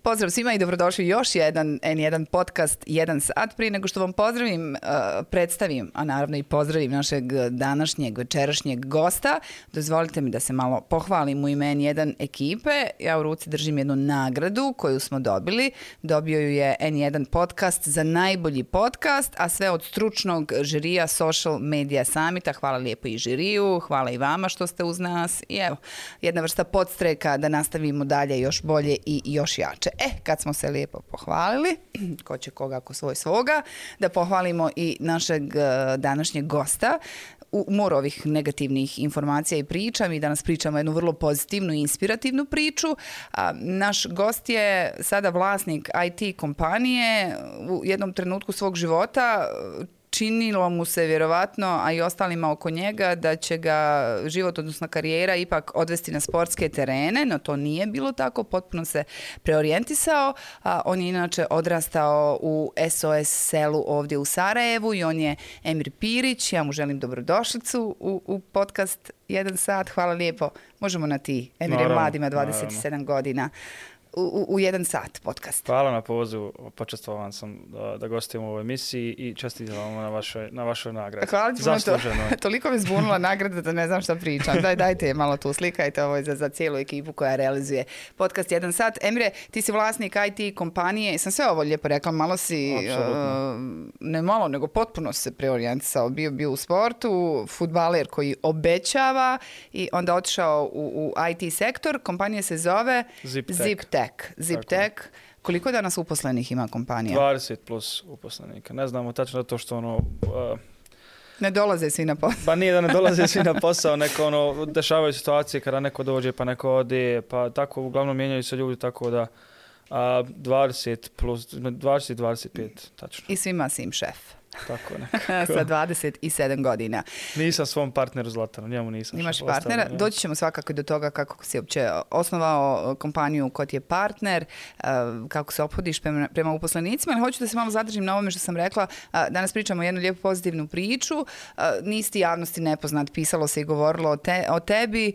Pozdrav svima i dobrodošli još jedan N1 podcast 1 sat. Prije nego što vam predstavim, a naravno i pozdravim našeg današnjeg, večerašnjeg gosta, dozvolite mi da se malo pohvalim u ime N1 ekipe. Ja u ruci držim jednu nagradu koju smo dobili. Dobio ju je N1 podcast za najbolji podcast, a sve od stručnog žirija Social Media Summita. Hvala lijepo i žiriju, hvala i vama što ste uz nas. I evo, jedna vrsta podstreka da nastavimo dalje još bolje i još jače. Kad smo se lijepo pohvalili, ko će koga ako svoj svoga, da pohvalimo i našeg današnjeg gosta. U moru ovih negativnih informacija i priča, mi danas pričamo jednu vrlo pozitivnu i inspirativnu priču. Naš gost je sada vlasnik IT kompanije. U jednom trenutku svog života činilo mu se vjerovatno, a i ostalima oko njega, da će ga život, odnosno karijera, ipak odvesti na sportske terene, no to nije bilo tako, potpuno se preorijentisao. On je inače odrastao u SOS selu ovdje u Sarajevu i on je Emir Pirić. Ja mu želim dobrodošlicu u podcast 1 sat. Hvala lijepo. Možemo na ti. Emir je mlad, ima 27 godina. U 1 sat podcast. Hvala na pozivu, počastvovan sam da gostujem u ovoj emisiji i čestitam vam na vašoj nagradi. Hvala ti puno, toliko me zbunila nagrada da ne znam šta pričam. Dajte je malo tu, slikajte ovo za cijelu ekipu koja realizuje podcast 1 sat. Emire, ti si vlasnik IT kompanije, sam sve ovo lijepo rekla, malo si, ne malo, nego potpuno se preorijentisao, bio u sportu, fudbaler koji obećava i onda otišao u IT sektor. Kompanija se zove ZipTech. Koliko danas uposlenih ima kompanija? 20 plus uposlenika. Ne znamo tačno to što ne dolaze svi na posao. Pa nije da ne dolaze svi na posao, neko dešavaju situacije kada neko dođe pa neko ode, pa tako uglavnom mijenjaju se ljudi, tako da 20 plus, 20-25, tačno. I svima si im šef. Tako nekako. Sa 27 godina. Nisam svom partneru Zlatanu, njemu nisam. Imaš partnera? Ja. Doći ćemo svakako do toga kako si uopće osnovao kompaniju kod je partner, kako se ophodiš prema uposlenicima, ali hoću da se malo zadržim na ovome što sam rekla. Danas pričamo jednu lijepu pozitivnu priču. Nisi ti javnosti nepoznat, pisalo se i govorilo o tebi.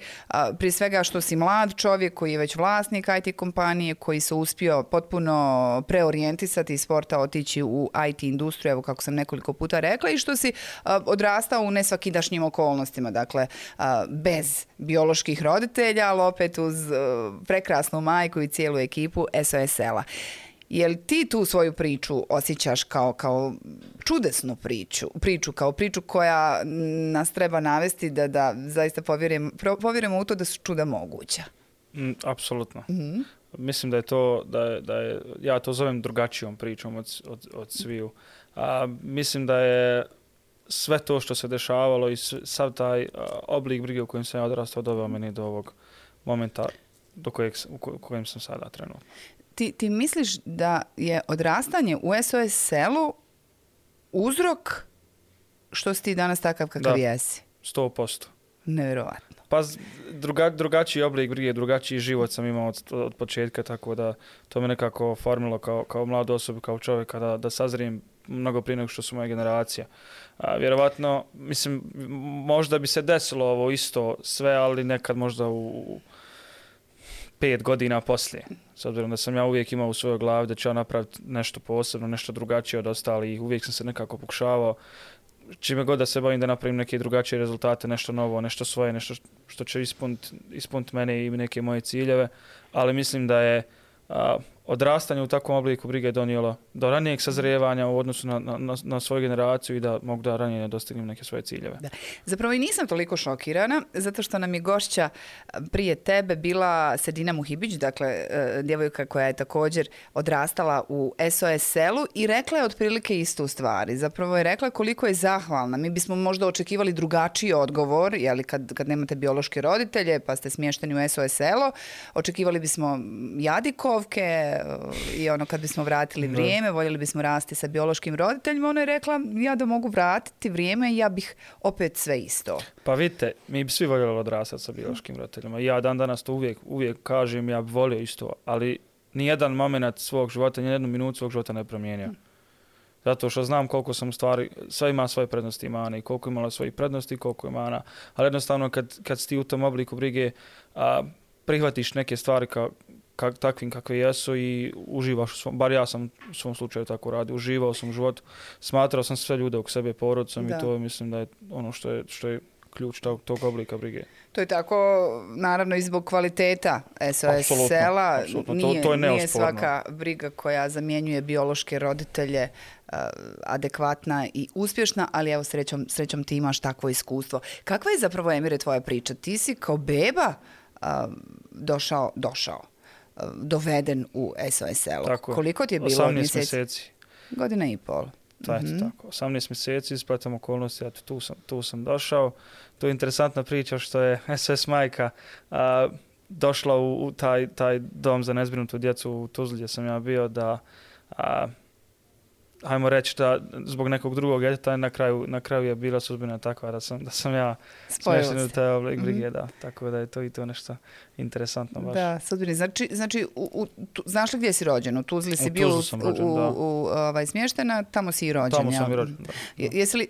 Prije svega što si mlad čovjek koji je već vlasnik IT kompanije, koji se uspio potpuno preorijentisati iz sporta, otići u IT industriju, evo kako sam nekoliko puta rekla, i što si odrastao u nesvakidašnjim okolnostima, dakle bez bioloških roditelja, ali opet uz prekrasnu majku i cijelu ekipu SOS sela. Jel ti tu svoju priču osjećaš kao čudesnu priču, kao priču koja nas treba navesti da zaista povjerujemo u to da su čuda moguća? Apsolutno. Mm-hmm. Mislim da je to, ja to zovem drugačijom pričom od sviju. Mislim da je sve to što se dešavalo i sav taj oblik brige u kojem sam ja odrastao doveo meni do ovog momenta u kojem sam sada trenutno. Ti misliš da je odrastanje u SOS selu uzrok što si ti danas takav kakav jesi? 100%. Nevjerovatno. Pa drugačiji oblik brige, drugačiji život sam imao od početka, tako da to me nekako formilo kao mladu osobu, kao čovjeka da sazrijem mnogo prije nego što su moja generacija. Vjerovatno, mislim, možda bi se desilo ovo isto sve, ali nekad možda u 5 godina poslije. S obzirom da sam ja uvijek imao u svojoj glavi da ću ja napraviti nešto posebno, nešto drugačije od ostalih. Uvijek sam se nekako pokušavao čime god da se bavim da napravim neke drugačije rezultate, nešto novo, nešto svoje, nešto što će ispuniti mene i neke moje ciljeve, ali mislim da je odrastanje u takvom obliku brige donijelo do ranijeg sazrijevanja u odnosu na svoju generaciju i da mogu da ranije dostignem neke svoje ciljeve. Da. Zapravo i nisam toliko šokirana, zato što nam je gošća prije tebe bila Sedina Muhibić, dakle djevojka koja je također odrastala u SOS selu i rekla je otprilike istu stvari. Zapravo je rekla koliko je zahvalna. Mi bismo možda očekivali drugačiji odgovor, jeli kad nemate biološke roditelje pa ste smješteni u SOS selo, očekivali bismo jadikovke, i kad bismo vratili vrijeme, voljeli bismo rasti sa biološkim roditeljima. Ona je rekla, ja da mogu vratiti vrijeme i ja bih opet sve isto. Pa vidite, mi bi svi voljeli odrastati sa biološkim roditeljima. Ja dan danas to uvijek kažem, ja bi volio isto, ali nijedan moment svog života, nijednu minutu svog života ne promijenio. Zato što znam koliko sam u stvari, sve ima svoje prednosti i mane i koliko imala svojih prednosti i koliko je mana. Ali jednostavno kad si ti u tom obliku brige, prihvatiš neke stvari takvim kakve jesu i uživaš, bar ja sam u svom slučaju tako radio, uživao sam u životu, smatrao sam sve ljude oko sebe porodicom i to mislim da je ono što je ključ tog oblika brige. To je tako, naravno, i zbog kvaliteta SOS sela. Nije svaka briga koja zamjenjuje biološke roditelje adekvatna i uspješna, ali evo srećom ti imaš takvo iskustvo. Kakva je zapravo, Emire, tvoja priča? Ti si kao beba došao, doveden u SOS selo. Tako, koliko ti je bilo 18 mjeseci? Godina i pol. Tako, 18 mjeseci, ispratom okolnosti, tu sam došao. To je interesantna priča što je SOS majka došla u taj dom za nezbrinutu djecu u Tuzli gdje sam ja bio da hajmo reći da zbog nekog drugog djeteta na kraju je bila sudbina takva da sam ja smješten u taj oblik brige, da. Tako da je to i to nešto interesantno baš. Da, sudbini. Znači znaš li gdje si rođen? U Tuzli si bio smještena, tamo si i rođen. Tamo sam i rođen, da. Jesi li,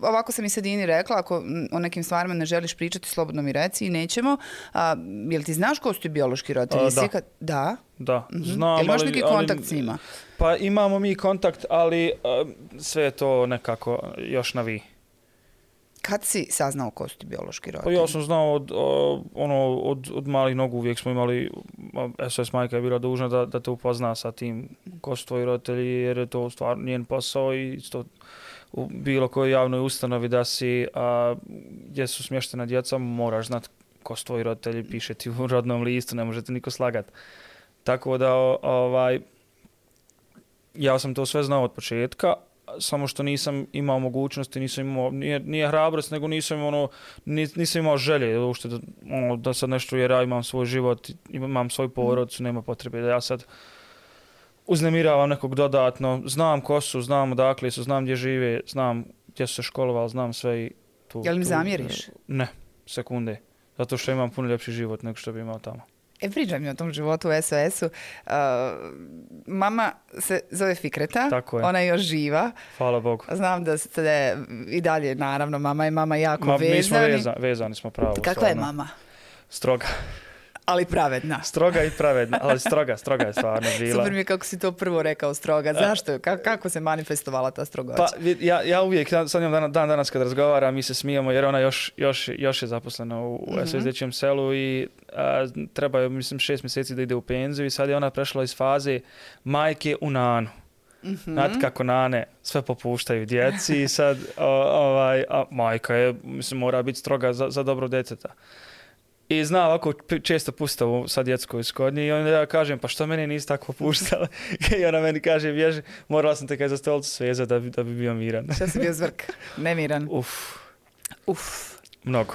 ovako sam i Sedini rekla, ako o nekim stvarima ne želiš pričati, slobodno mi reci i nećemo. Jel ti znaš ko su ti biološki roditelji? Da. Da, znam. Jel imaš neki kontakt s njima? Pa imamo mi kontakt, ali sve je to nekako još na vi. Kad si saznao ko su ti biološki roditelji? Pa ja sam znao od malih nogu, uvijek smo imali, SOS majka je bila dužna da te upozna sa tim ko su tvoji roditelji, jer je to stvarno njen posao i isto u bilo kojoj javnoj ustanovi da si, gdje su smještena djeca, moraš znati ko su tvoji roditelji, piše ti u rodnom listu, ne možete niko slagati. Tako da ja sam to sve znao od početka, samo što nisam imao mogućnosti, nisam imao, nije hrabrost, nego nisam imao želje da sad nešto, jer ja imam svoj život, imam svoju porodicu, nema potrebe da ja sad uznemiravam nekog dodatno. Znam ko su, znam odakle su, znam gdje žive, znam gdje su se školovali, znam sve i tu. Jel mi zamjeriš? Ne, sekunde. Zato što imam puno ljepši život nego što bi imao tamo. Pričaj mi o tom životu u SOS-u. Mama se zove Fikreta, ona je još živa. Hvala Bogu. Znam da ste i dalje, naravno, mama i mama jako vezani. Mi smo vezani smo pravo. Kakva je mama? Stroga. Ali pravedna. Stroga i pravedna, ali stroga je stvarno bila. Super mi je kako si to prvo rekao, stroga. Zašto? Kako se manifestovala ta strogoća? Pa ja uvijek, sad njom dan danas kad razgovaram, mi se smijemo jer ona još je zaposlena u SOS dječjem selu i treba je, mislim, 6 mjeseci da ide u penziju i sad je ona prešla iz faze majke u nanu. Znate kako nane sve popuštaju djeci i sad majka je, mislim, mora biti stroga za dobro djeteta. I zna ovako često pustavu sa djetskoj skodnji i onda ja kažem, pa što mene nisi tako puštala? I ona meni kaže, bježi, morala sam te kaj za stolicu svezati da bi bio miran. Što si bio zvrk? Nemiran? Uf. Mnogo.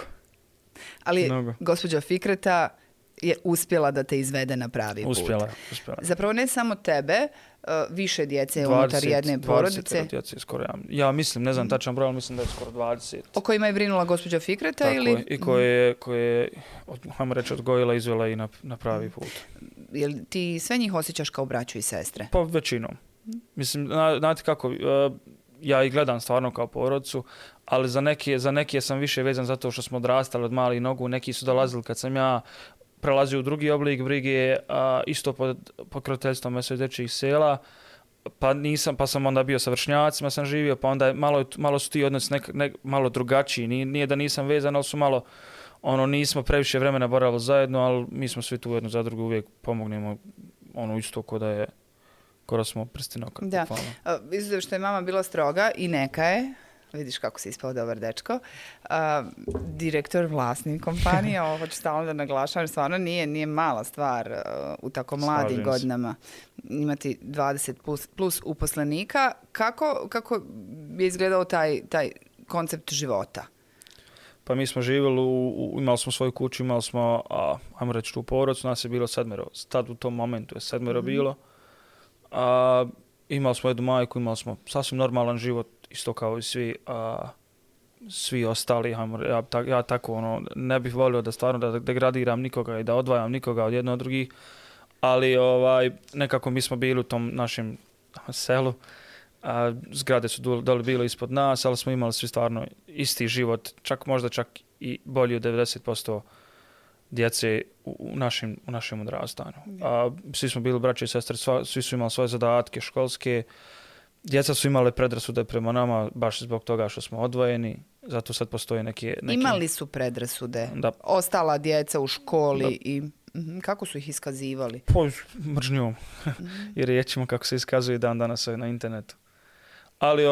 Ali gospođa Fikreta je uspjela da te izvede na pravi put. Uspjela. Zapravo ne samo tebe, više djece unutar jedne porodice. 20 djece skoro, ja mislim, ne znam tačan broj, ali mislim da je skoro 20. O kojima je brinula gospođa Fikreta? Tako ili? I koje je, hajmo reći, odgojila, izvela i na pravi put. Jel ti sve njih osjećaš kao braću i sestre? Pa većinom. Mislim, znate kako, ja ih gledam stvarno kao porodicu, ali za neke sam više vezan zato što smo odrastali od malih nogu, neki su dolazili kad sam ja prelazio u drugi oblik brige, isto pod pokroviteljstvom SOS dječjih sela, pa sam onda bio sa vršnjacima, sam živio, pa onda malo su ti odnosi malo drugačiji, nije da nisam vezan, ali su malo, nismo previše vremena boravili zajedno, ali mi smo svi tu jedno za drugo uvijek pomognemo, isto ko da smo prstinoka. Da, izuzev što je mama bila stroga i neka je, vidiš kako si ispao dobar dečko, direktor, vlasnik kompanije, ovo hoću stalno da naglašavam, stvarno nije mala stvar u tako mladim godinama imati 20 plus uposlenika. Kako je izgledao taj koncept života? Pa mi smo živjeli, imali smo svoju kuću, imali smo, ajmo reći, tu porodicu, nas je bilo 7, tad u tom momentu je 7 bilo. Imali smo jednu majku, imali smo sasvim normalan život, isto kao i svi ostali. Ja tako ne bih volio da stvarno da degradiram nikoga i da odvajam nikoga od jedno od drugih, ali nekako mi smo bili u tom našem selu. Zgrade su dole bile ispod nas, ali smo imali svi stvarno isti život, možda čak i bolji od 90% djece u našem odrastanju. Svi smo bili braće i sestre, svi su imali svoje zadatke školske. Djeca su imale predrasude prema nama baš zbog toga što smo odvojeni. Zato sad postoje neki... Imali su predrasude? Da. Ostala djeca u školi i... Kako su ih iskazivali? Po mržnjom. I riječima kako se iskazuje dan danas na internetu. Ali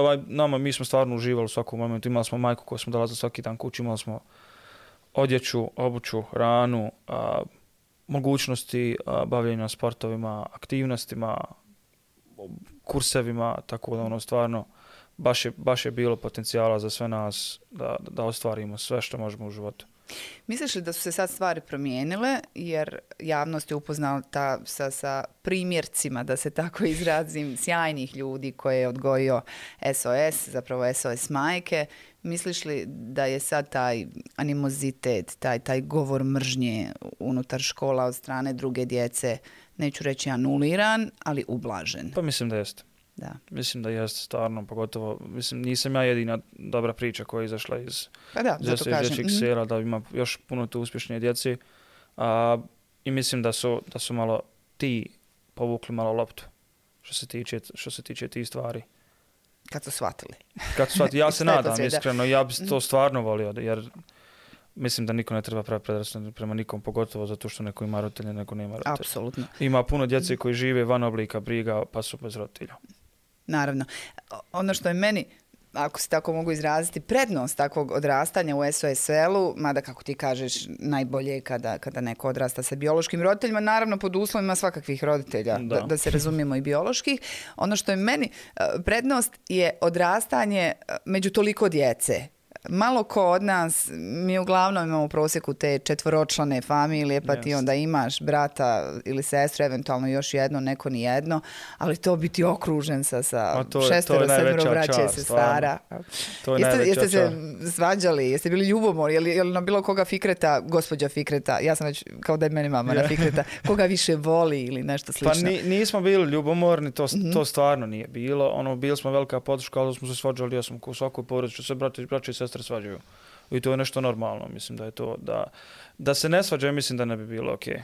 mi smo stvarno uživali u svakom momentu. Imali smo majku koju smo dolazili svaki dan kući, imali smo odjeću, obuću, hranu, mogućnosti bavljenja sportovima, aktivnostima, kursevima, tako da stvarno baš je bilo potencijala za sve nas da ostvarimo sve što možemo u životu. Misliš li da su se sad stvari promijenile jer javnost je upoznata sa primjercima, da se tako izrazim, sjajnih ljudi koje je odgojio SOS, zapravo SOS majke? Misliš li da je sad taj animozitet, taj govor mržnje unutar škola od strane druge djece, neću reći anuliran, ali ublažen? Pa mislim da jeste. Da. Mislim da jeste stvarno, pogotovo, nisam ja jedina dobra priča koja je izašla iz dječjeg sela, da ima još puno tu uspješnije djeci. I mislim da su malo ti povukli malo loptu što se tiče tih stvari. Kad su shvatili. Ja se nadam, iskreno, ja bih to stvarno volio, jer mislim da niko ne treba pravi predrasude prema nikom, pogotovo zato što neko ima roditelje, neko nema roditelja. Apsolutno. Ima puno djece koji žive van oblika briga, pa su bez roditelja. Naravno. Ono što je meni, ako se tako mogu izraziti, prednost takvog odrastanja u SOS-u, mada kako ti kažeš, najbolje je kada neko odrasta sa biološkim roditeljima, naravno pod uslovima svakakvih roditelja, da se razumijemo i bioloških. Ono što je meni prednost je odrastanje među toliko djece. Malo ko od nas, mi uglavnom imamo u prosjeku te četvoročlane familije, pa ti onda imaš brata ili sestru, eventualno još jedno, neko ni jedno, ali to biti okružen sa šestero, sedmero braće, sestara. Jeste se svađali, jeste bili ljubomori, je li na bilo koga Fikreta, gospođa Fikreta, ja sam već kao da je meni mama na Fikreta, koga više voli ili nešto slično? Pa nismo bili ljubomorni, to stvarno nije bilo. Bili smo velika podrška, ali smo se svađali, ja sam u svakoj porodici, što se braće i sestre svađaju. I to je nešto normalno. Mislim da je to, da se ne svađaju, mislim da ne bi bilo okej.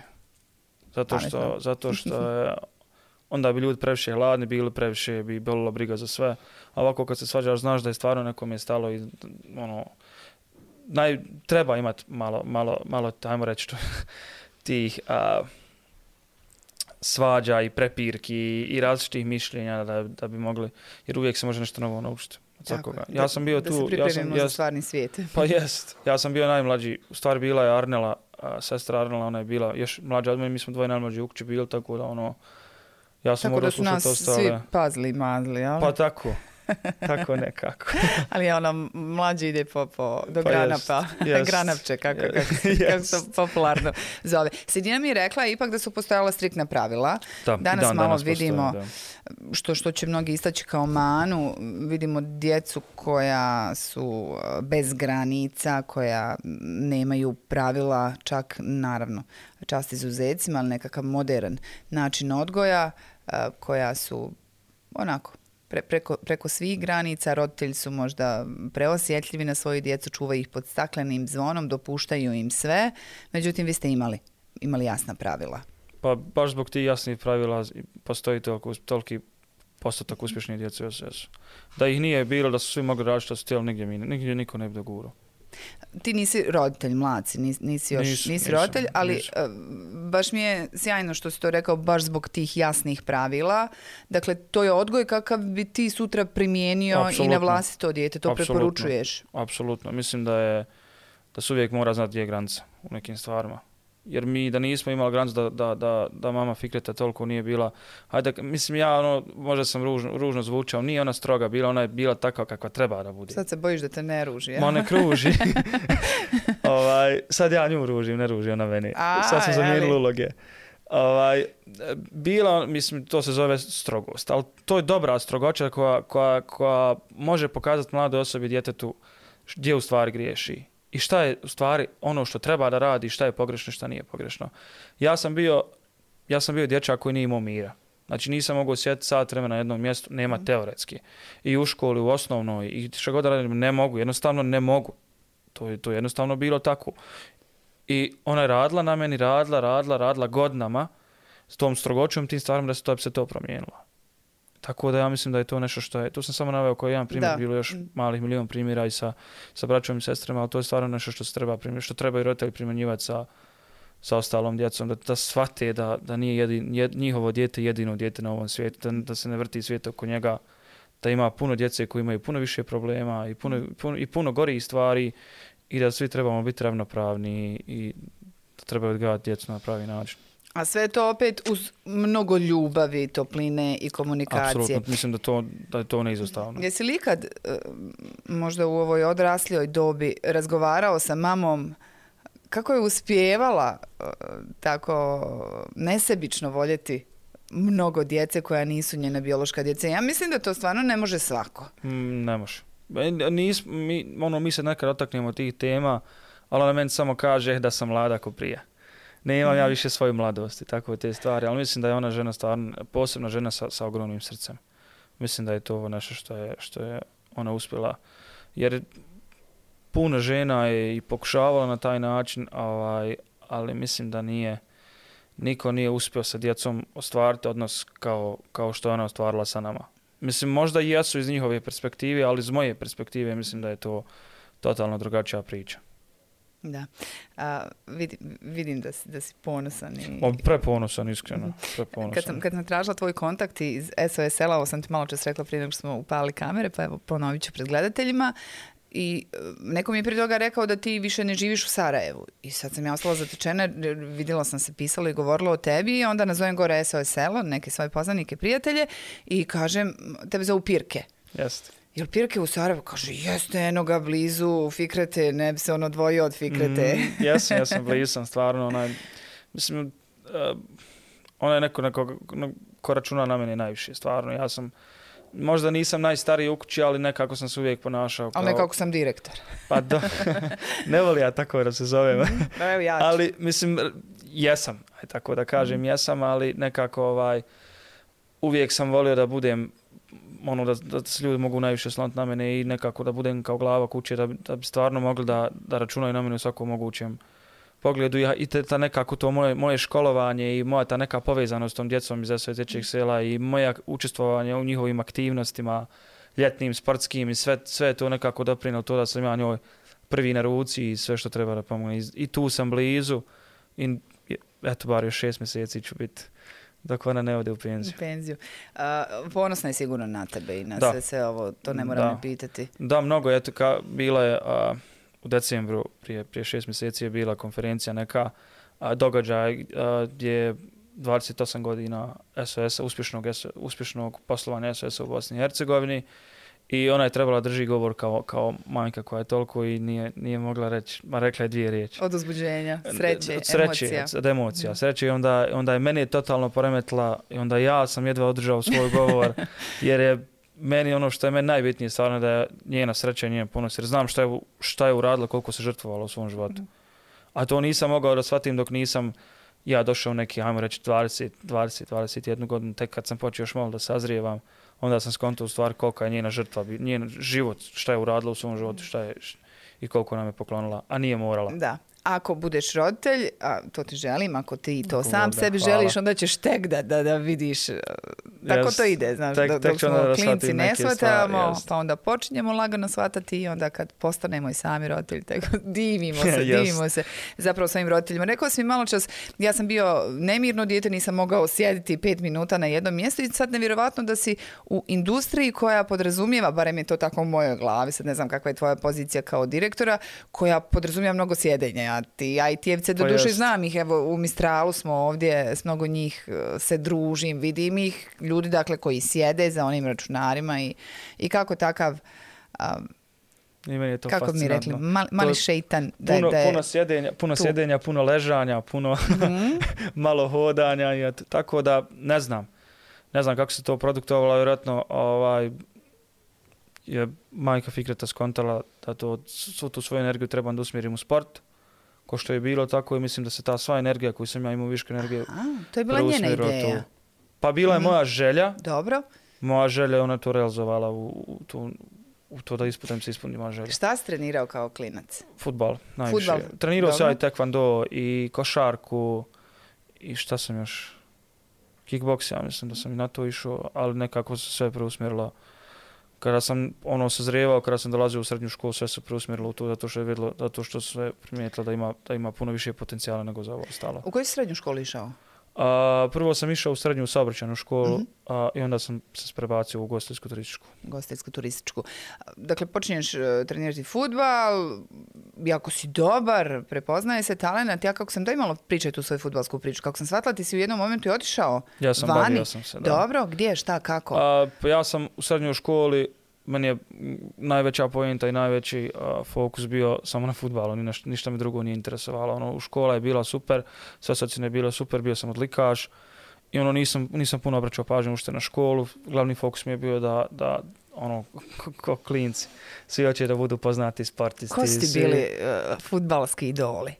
Zato što je, onda bi ljudi previše hladni bili, previše bi bolila briga za sve. A ovako kad se svađaš, znaš da je stvarno nekom je stalo i treba imati malo ajmo reći tih svađa i prepirki i različitih mišljenja da bi mogli, jer uvijek se može nešto novo naučiti. Ja sam bio tu, da se pripremimo za stvarni svijet. Pa jest. Ja sam bio najmlađi. U stvari bila je Arnela, sestra Arnela, ona je bila još mlađa od mene, mi smo dvoje najmlađi u kući bili, tako da ja sam mogla slušati ostale. Tako da su nas svi pazli, mazli, jel? Pa tako. Tako nekako. Ali mlađi ide do granapa. Granapče, kako se popularno zove. Sredina mi je rekla ipak da su postojala striktna pravila. Danas malo vidimo, što će mnogi istaći kao manu, vidimo djecu koja su bez granica, koja nemaju pravila, čak naravno čast izuzecima, ali nekakav modern način odgoja, koja su onako preko svih granica, roditelji su možda preosjetljivi na svoju djecu, čuvaju ih pod staklenim zvonom, dopuštaju im sve, međutim vi ste imali jasna pravila. Pa baš zbog tih jasnih pravila postoji toliki postotak uspješnih djece u SOS-u. Da ih nije bilo, da su svi mogli raditi što su htjeli, nigdje niko ne bi dogurao. Ti nisi roditelj, mlaci, nisi roditelj, ali baš mi je sjajno što si to rekao, baš zbog tih jasnih pravila. Dakle, to je odgoj kakav bi ti sutra primijenio i na vlastito dijete, to preporučuješ. Apsolutno, mislim da se uvijek mora znati gdje je granica u nekim stvarima. Jer mi da nismo imali granicu da mama Fikreta toliko nije bila, mislim ja možda sam ružno zvučao, nije ona stroga bila, ona je bila takva kakva treba da bude. Sad se bojiš da te ne ruži, ja? Ma ne ruži. Sad ja nju ružim, ne ruži ona meni. Sad sam zamijenili uloge. Bila, mislim, to se zove strogost, ali to je dobra strogoća koja može pokazati mladoj osobi, djetetu, gdje u stvari griješi. I šta je u stvari ono što treba da radi, šta je pogrešno, šta nije pogrešno. Ja sam bio dječak koji nije imao mira. Znači nisam mogao sjediti sat vremena na jednom mjestu, nema teoretski. I u školi, u osnovnoj, i što god da radim, ne mogu, jednostavno ne mogu. To je jednostavno bilo tako. I ona je radila na meni, radila godinama s tom strogoćom, tim stvarima da bi se to promijenilo. Tako da ja mislim da je to nešto što je, tu sam samo naveo koji jedan primjer, bilo još malih milion primjera i sa braćom i sestrama, ali to je stvarno nešto što se treba primjenjivati, što treba i roditelji primjenjivati sa ostalom djecom, da shvate da nije njihovo dijete jedino dijete na ovom svijetu, da se ne vrti svijet oko njega, da ima puno djece koji imaju puno više problema i puno gorih stvari i da svi trebamo biti ravnopravni i da treba odgajati djecu na pravi način. A sve to opet uz mnogo ljubavi, topline i komunikacije. Apsolutno, mislim da je to neizostavno. Jesi li ikad, možda u ovoj odraslijoj dobi, razgovarao sa mamom kako je uspijevala tako nesebično voljeti mnogo djece koja nisu njena biološka djeca? Ja mislim da to stvarno ne može svako. Ne može. Mi se nekad dotaknemo tih tema, ali ona meni samo kaže da sam mlada ko prije. Ne imam ja više svoju mladost i tako te stvari, ali mislim da je ona žena stvarno, posebna žena sa ogromnim srcem. Mislim da je to nešto što je ona uspjela. Jer puno žena je i pokušavala na taj način, ali mislim da niko nije uspio sa djecom ostvariti odnos kao što je ona ostvarila sa nama. Mislim, možda i jesu iz njihove perspektive, ali iz moje perspektive mislim da je to totalno drugačija priča. Da. Vidim da si ponosan. Preponosan, iskreno. Preponosan. Kad sam tražila tvoj kontakt iz SOS-a, ovo sam ti malo čas rekla prije nego što smo upali kamere, pa evo ponovit ću pred gledateljima. I neko mi je prije toga rekao da ti više ne živiš u Sarajevu. I sad sam ja ostala zatečena, vidjela sam se pisalo i govorila o tebi i onda nazovem gore SOS selo, neke svoje poznanike, prijatelje i kažem, tebe zovu Pirke. Jeste. Jel Pirke u Sarajevu? Kaže, jeste, eno ga blizu Fikrete, ne bi se on odvojio od Fikrete. Jesam, blizu sam, stvarno. Mislim, ona je neko ko računa na mene najviše, stvarno. Ja sam, možda nisam najstariji u kući, ali nekako sam se uvijek ponašao kao... Ali nekako sam direktor. Pa ne voli ja tako da se zovem. Evo ja ću. Ali, mislim, jesam, tako da kažem, jesam, ali nekako uvijek sam volio da budem da se ljudi mogu najviše sloniti na mene i nekako da budem kao glava kuće, da bi stvarno mogli da računaju na mene u svakom mogućem pogledu. I ta nekako to moje školovanje i moja ta neka povezanost s tom djecom iz SOS dječjeg sela i moja učestvovanje u njihovim aktivnostima, ljetnim, sportskim i sve je to nekako doprinijelo to da sam ja njoj prvi na ruci i sve što treba da pomogne. I tu sam blizu i eto, bar još 6 mjeseci ću biti dok ona ne ode u penziju. Ponosna je sigurno na tebe i na sve ovo, to ne moram ne pitati. Da, mnogo. Eto, bila je u decembru, prije 6 mjeseci je bila konferencija neka događaj gdje 28 godina SOS-a, uspješnog poslovanja SOS-a u Bosni i Hercegovini. I ona je trebala drži govor kao majka koja je toliko i nije mogla reći, rekla je 2 riječi. Od uzbuđenja, sreće, emocija. Sreće i onda je meni totalno poremetila i onda ja sam jedva održao svoj govor jer je meni ono što je meni najbitnije stvarno da je njena sreća i njen ponos. Jer znam šta je uradila, koliko se žrtvovala u svom životu. A to nisam mogao da shvatim dok nisam ja došao neki, ajmo reći, 21 godinu, tek kad sam počeo još malo da sazrijevam. Onda sam skontao u stvari kolika je njena žrtva, njen život, šta je uradila u svom životu, i koliko nam je poklonila, a nije morala. Da. Ako budeš roditelj, a to ti želim, ako ti to sam sebi želiš, onda ćeš tek da vidiš. Tako to ide, znaš, dok smo klinci ne shvatamo, pa onda počinjemo lagano shvatati i onda kad postanemo i sami roditelji, tako divimo se zapravo svojim roditeljima. Rekao si mi malo čas, ja sam bio nemirno dijete, nisam mogao sjediti 5 minuta na jednom mjestu i sad nevjerovatno da si u industriji koja podrazumijeva, barem je to tako u mojoj glavi, sad ne znam kakva je tvoja pozicija kao direktora, koja podrazumijeva mnogo sjedenja. Ti IT-evce do duše znam ih, evo u Mistralu smo ovdje, s mnogo njih se družim, vidim ih, ljudi dakle koji sjede za onim računarima i kako takav, kako bi mi rekli, mali šeitan. Puno sjedenja, puno ležanja, puno malo hodanja, tako da ne znam kako se to produktovalo, vjerojatno je majka Fikreta skontala da svu tu svoju energiju trebam da usmjerim u sport. Ko što je bilo, tako i mislim da se ta sva energija koju sam ja imao viška energije to je bila njena ideja. Pa bila je moja želja. Dobro. Moja želja, ona to realizovala u to da isputem se ispunima želje. Šta si trenirao kao klinac? Fudbal, najviše. Fudbal, Trenirao sam dobro. i tekvando i košarku i šta sam još? Kickboks, ja mislim da sam i na to išao, ali nekako se sve preusmjerilo. Kada sam sazrijevao, kada sam dolazio u srednju školu, sve se preusmjerilo u to zato što su sve primijetilo da ima puno više potencijala nego za ovo ostalo. U koju si srednju školu išao? Prvo sam išao u srednju saobraćajnu školu i onda sam se prebacio u ugostiteljsku turističku. Ugostiteljsku turističku. Dakle, počinješ trenirati fudbal, jako si dobar, prepoznaje se talenat. Ja kako sam imala pričati tu svoju fudbalsku priču, kako sam shvatila, ti si u jednom momentu i otišao Ja sam vani. bavio sam se, da. Dobro, gdje, šta, kako? Pa ja sam u srednjoj školi, meni je najveća poenta i najveći fokus bio samo na fudbalu, ništa me drugo nije interesovalo. U škola je bila super, sve ocjene je bilo super, bio sam odlikaš i nisam puno obraćao pažnju ušte na školu. Glavni fokus mi je bio da ko klinci, svi hoće da budu poznati sportisti. Ko su ti bili fudbalski idoli?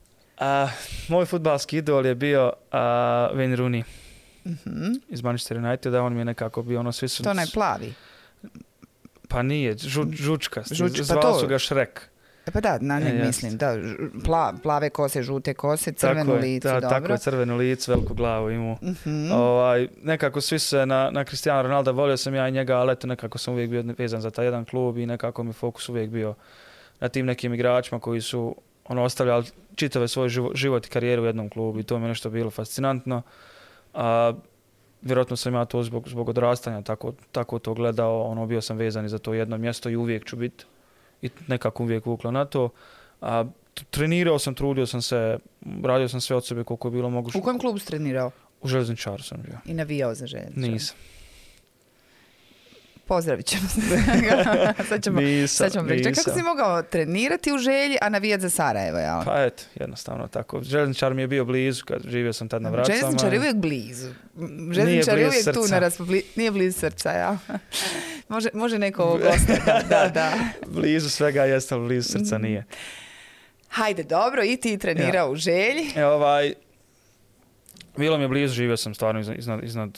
Moj fudbalski idol je bio Wayne Rooney iz Manchester Uniteda, on mi je nekako bio svi su... To onaj plavi? Pa nije, žučka, pa zvali su ga Šrek. Pa da, na njeg mislim, da, plave kose, žute kose, crveno lice, dobro. Tako je, crveno lice, veliku glavu imu. Nekako svi se na Cristiano Ronaldo, volio sam ja i njega, ali eto nekako sam uvijek bio vezan za taj jedan klub i nekako mi fokus uvijek bio na tim nekim igračima koji su ostavljali čitave svoj život i karijeru u jednom klubu i to mi je nešto bilo fascinantno. Vjerojatno sam ja to zbog odrastanja tako to gledao, bio sam vezan i za to jedno mjesto i uvijek ću biti i nekako uvijek vuklo na to. Trenirao sam, trudio sam se, radio sam sve od sebe koliko je bilo moguće. U kojem klubu si trenirao? U Željezničaru sam bio. I navijao za Željezničar? Nisam. Pozdravit ćemo se. Sad ćemo reći. Kako si mogao trenirati u Želji, a navijati za Sarajevo? Ja? Pa eto, jednostavno tako. Željezničar mi je bio blizu, kad živio sam tad na Vracama. Željezničar je uvijek blizu. Željezničar je uvijek tu na nije blizu srca, ja. Može neko ovog ostati. Da. Blizu svega jeste, ali blizu srca nije. Hajde, dobro, i ti trenirao u Želji. Bilo mi je blizu, živio sam stvarno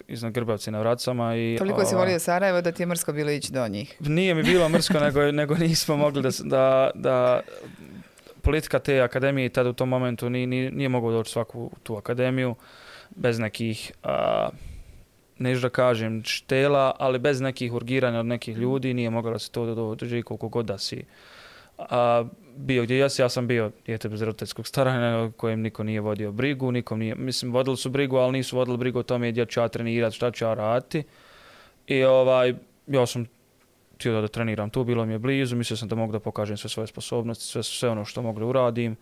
iznad Grbavci na Vracama. Toliko si volio Sarajevo da ti je mrsko bilo ići do njih. Nije mi bilo mrsko, nego nismo mogli da politika te akademije tada u tom momentu nije mogao doći svaku tu akademiju bez nekih, neću da kažem štela, ali bez nekih urgiranja od nekih ljudi, nije moglo da se to dođe koliko god da si bio gdje ja sam bio dijete bez roditeljskog staranja kojem niko nije vodio brigu, mislim vodili su brigu, ali nisu vodili brigu o tome gdje ću ja trenirati, šta ću ja raditi. I ja sam htio da treniram tu, bilo mi je blizu, mislio sam da mogu da pokažem sve svoje sposobnosti, sve ono što mogu da uradim.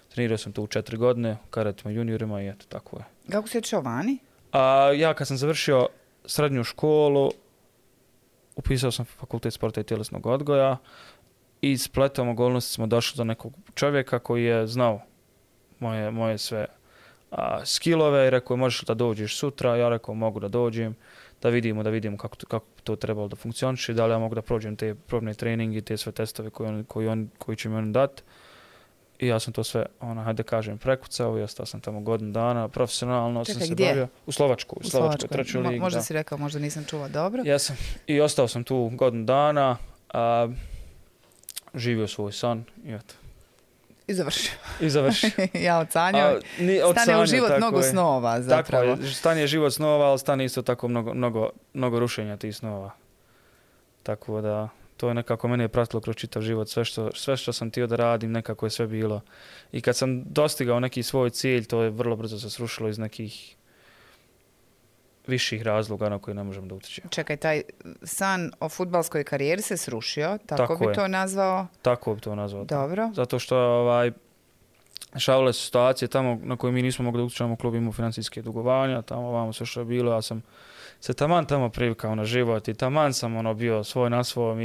Trenirao sam tu 4 godine, kadetima, juniorima i eto, tako je. Kako si otišao vani? Ja kad sam završio srednju školu, upisao sam fakultet sporta i tjelesnog odgoja. I spletom okolnosti smo došli do nekog čovjeka koji je znao moje sve skillove i rekao možeš li da dođeš sutra, ja rekao mogu da dođem, da vidimo kako to trebalo da funkcioniše, da li ja mogu da prođem te probne treninge i te sve testove koji će mi on dati. I ja sam to sve, hajde kažem, prekucao i ostao sam tamo godinu dana, profesionalno. Čekaj, sam se gdje? Bavio u Slovačkoj, trećoj ligi. Možda si rekao, možda nisam čuo, dobro. Jesam. I ostao sam tu godinu dana, živio svoj san i eto. I završio. Ja odsanjao. Stane u život mnogo snova zapravo. Tako je, stane život snova, ali stane isto tako mnogo rušenja tih snova. Tako da, to je nekako mene je pratilo kroz čitav život. Sve što sam htio da radim, nekako je sve bilo. I kad sam dostigao neki svoj cilj, to je vrlo brzo se srušilo iz nekih viših razloga na koje ne možemo da utječemo. Čekaj, taj san o fudbalskoj karijeri se srušio, tako bi to nazvao? Tako bi to nazvao. Dobro. Zato što dešavale su situacije tamo na koje mi nismo mogli da utječemo, klub imao financijske dugovanja, tamo ovamo sve što je bilo, ja sam se taman tamo privikao na život i taman sam bio svoj na svom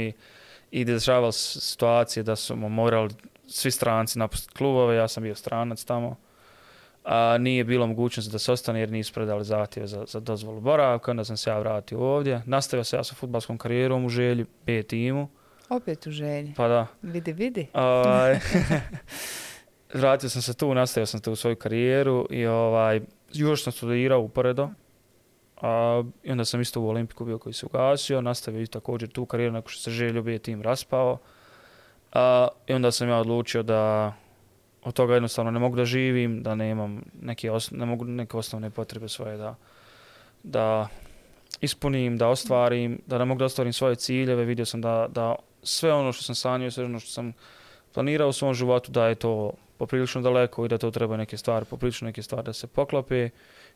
i dešavale situacije da su morali svi stranci napustiti klubove, ja sam bio stranac tamo. Nije bilo mogućnosti da se ostane jer nisu predali zahtjeve za dozvolu boravka, onda sam se ja vratio ovdje. Nastavio se ja sa fudbalskom karijerom u Želji, B timu. Opet u Želji? Pa da. Vidi. Vratio sam se tu, nastavio sam tu svoju karijeru i još sam studirao uporedo. I onda sam isto u Olimpiku bio koji se ugasio, nastavio i također tu karijeru nakon što se želio bio tim raspao. I onda sam ja odlučio da od toga jednostavno ne mogu da živim, da nemam ne mogu neke osnovne potrebe svoje da ispunim, da ostvarim, da ne mogu da ostvarim svoje ciljeve. Vidio sam da sve ono što sam sanjao, sve ono što sam planirao u svom životu, da je to poprilično daleko i da to treba poprilično neke stvari da se poklope.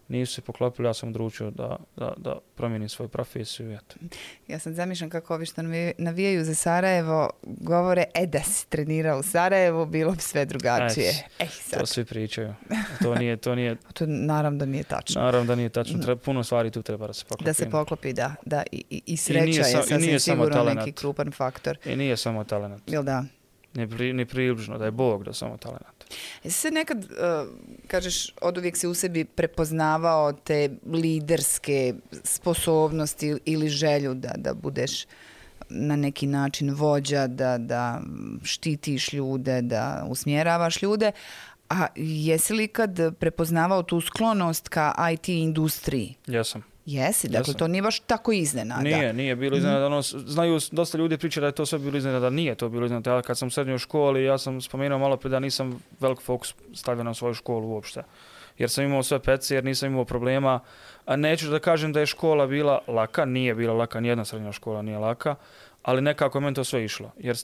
Nisu se poklopili, ja sam odlučio da promijenim svoju profesiju. Eto. Ja sam zamišljam kako ovi što navijaju za Sarajevo govore, da si trenirao u Sarajevu, bilo bi sve drugačije. To svi pričaju. To nije... To naravno da nije tačno. Naravno da nije tačno. Puno stvari tu treba da se poklopi. Da se poklopi, da. I sreća je sasvim sigurno neki krupan faktor. I nije samo talent. Jel da? Ni približno, da je Bog da samo talent. Jesi se nekad, kažeš, oduvijek si u sebi prepoznavao te liderske sposobnosti ili želju da budeš na neki način vođa, da štitiš ljude, da usmjeravaš ljude, a jesi li kad prepoznavao tu sklonost ka IT industriji? Jesam. Jesi, dakle to nije baš tako iznenada. Nije bilo iznenada. Znaju, dosta ljudi priča da je to sve bilo iznenada, nije to bilo iznenada. Ja kad sam u srednjoj školi, ja sam spomenuo malo prije da nisam velik fokus stavio na svoju školu uopšte. Jer sam imao sve pece, jer nisam imao problema. A neću da kažem da je škola bila laka, nije bila laka, nijedna srednja škola nije laka, ali nekako je meni to sve išlo. Jer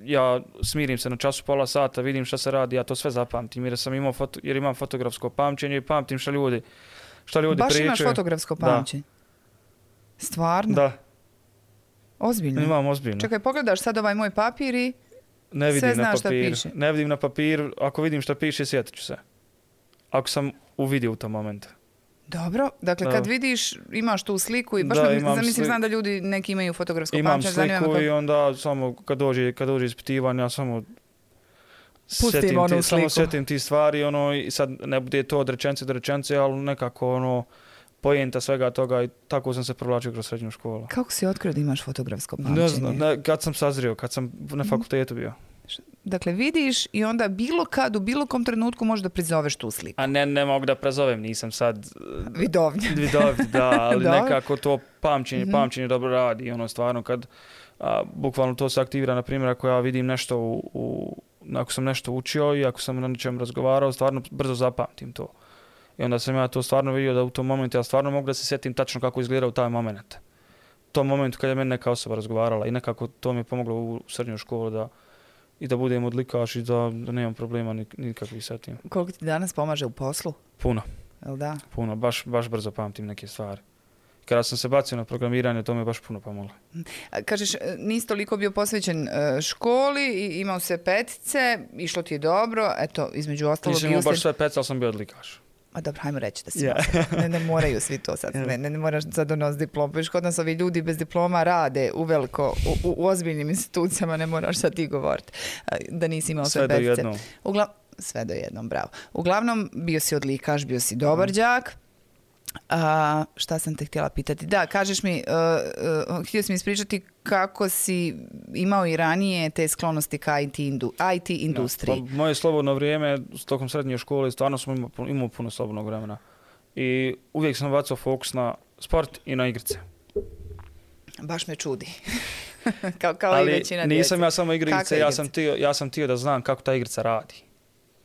ja smirim se na času pola sata, vidim šta se radi, ja to sve zapamtim. Jer imam fotografsko pamćenje i pamtim šta ljudi baš pričaju. Imaš fotografsko pamćenje? Stvarno? Da. Ozbiljno? Imam ozbiljno. Čekaj, pogledaš sad ovaj moj papir i sve znaš šta piše. Ne vidim na papir, ako vidim šta piše, sjetit ću se. Ako sam uvidio u tom momentu. Dobro, dakle kad vidiš, imaš tu sliku i baš znam da ljudi neki imaju fotografsko pamćenje. Imam sliku i onda samo kad dođe ispitivanje, ja samo sjetim ti stvari, i sad ne bude to od rečence do rečence, ali nekako pojenta svega toga i tako sam se provlačio kroz srednju školu. Kako si otkrio da imaš fotografsko pamćenje? Ne znam, kad sam sazrio, kad sam na fakultetu bio. Dakle, vidiš i onda bilo kad, u bilo kom trenutku možeš da prizoveš tu sliku. A ne mogu da prezovem, nisam sad... Vidovnja. Da, ali nekako to pamćenje dobro radi. Stvarno kad bukvalno to se aktivira, na primjer, ako ja vidim nešto ako sam nešto učio i ako sam na nečem razgovarao, stvarno brzo zapamtim to. I onda sam ja to stvarno vidio da u tom momentu ja stvarno mogu da se sjetim tačno kako izgledao taj moment. U tom momentu kad je meni neka osoba razgovarala i nekako to mi je pomoglo u srednjoj školi da budem odlikaš i da nemam problema nikakvih sa tim. Koliko ti danas pomaže u poslu? Puno. Jel da? Puno, baš brzo pamtim neke stvari. Kada sam se bacio na programiranje, to mi je baš puno pomoglo. Kažeš, nisi toliko bio posvećen školi, imao se petice, išlo ti je dobro, eto, između ostalog... Nisam imao baš sve petice, ali sam bio odlikaš. A dobro, hajmo reći da si ne moraju svi to sad. Ne moraš sad donositi diplom. Viš, kod nas ovi ljudi bez diploma rade uveliko u ozbiljnim institucijama, ne moraš sad ti govoriti da nisi imao sve petice. Sve do jednom. Sve do jednom, bravo. Uglavnom, bio si odlikaš, bio si dobar đak. Šta sam te htjela pitati? Da, kažeš mi, htio si mi ispričati kako si imao i ranije te sklonosti ka IT industriji. Pa, moje slobodno vrijeme tokom srednje škole stvarno sam imao puno slobodnog vremena. I uvijek sam bacao fokus na sport i na igrice. Baš me čudi. kao ali i većina djece. Nisam ja samo igrice, ja sam htio da znam kako ta igrica radi.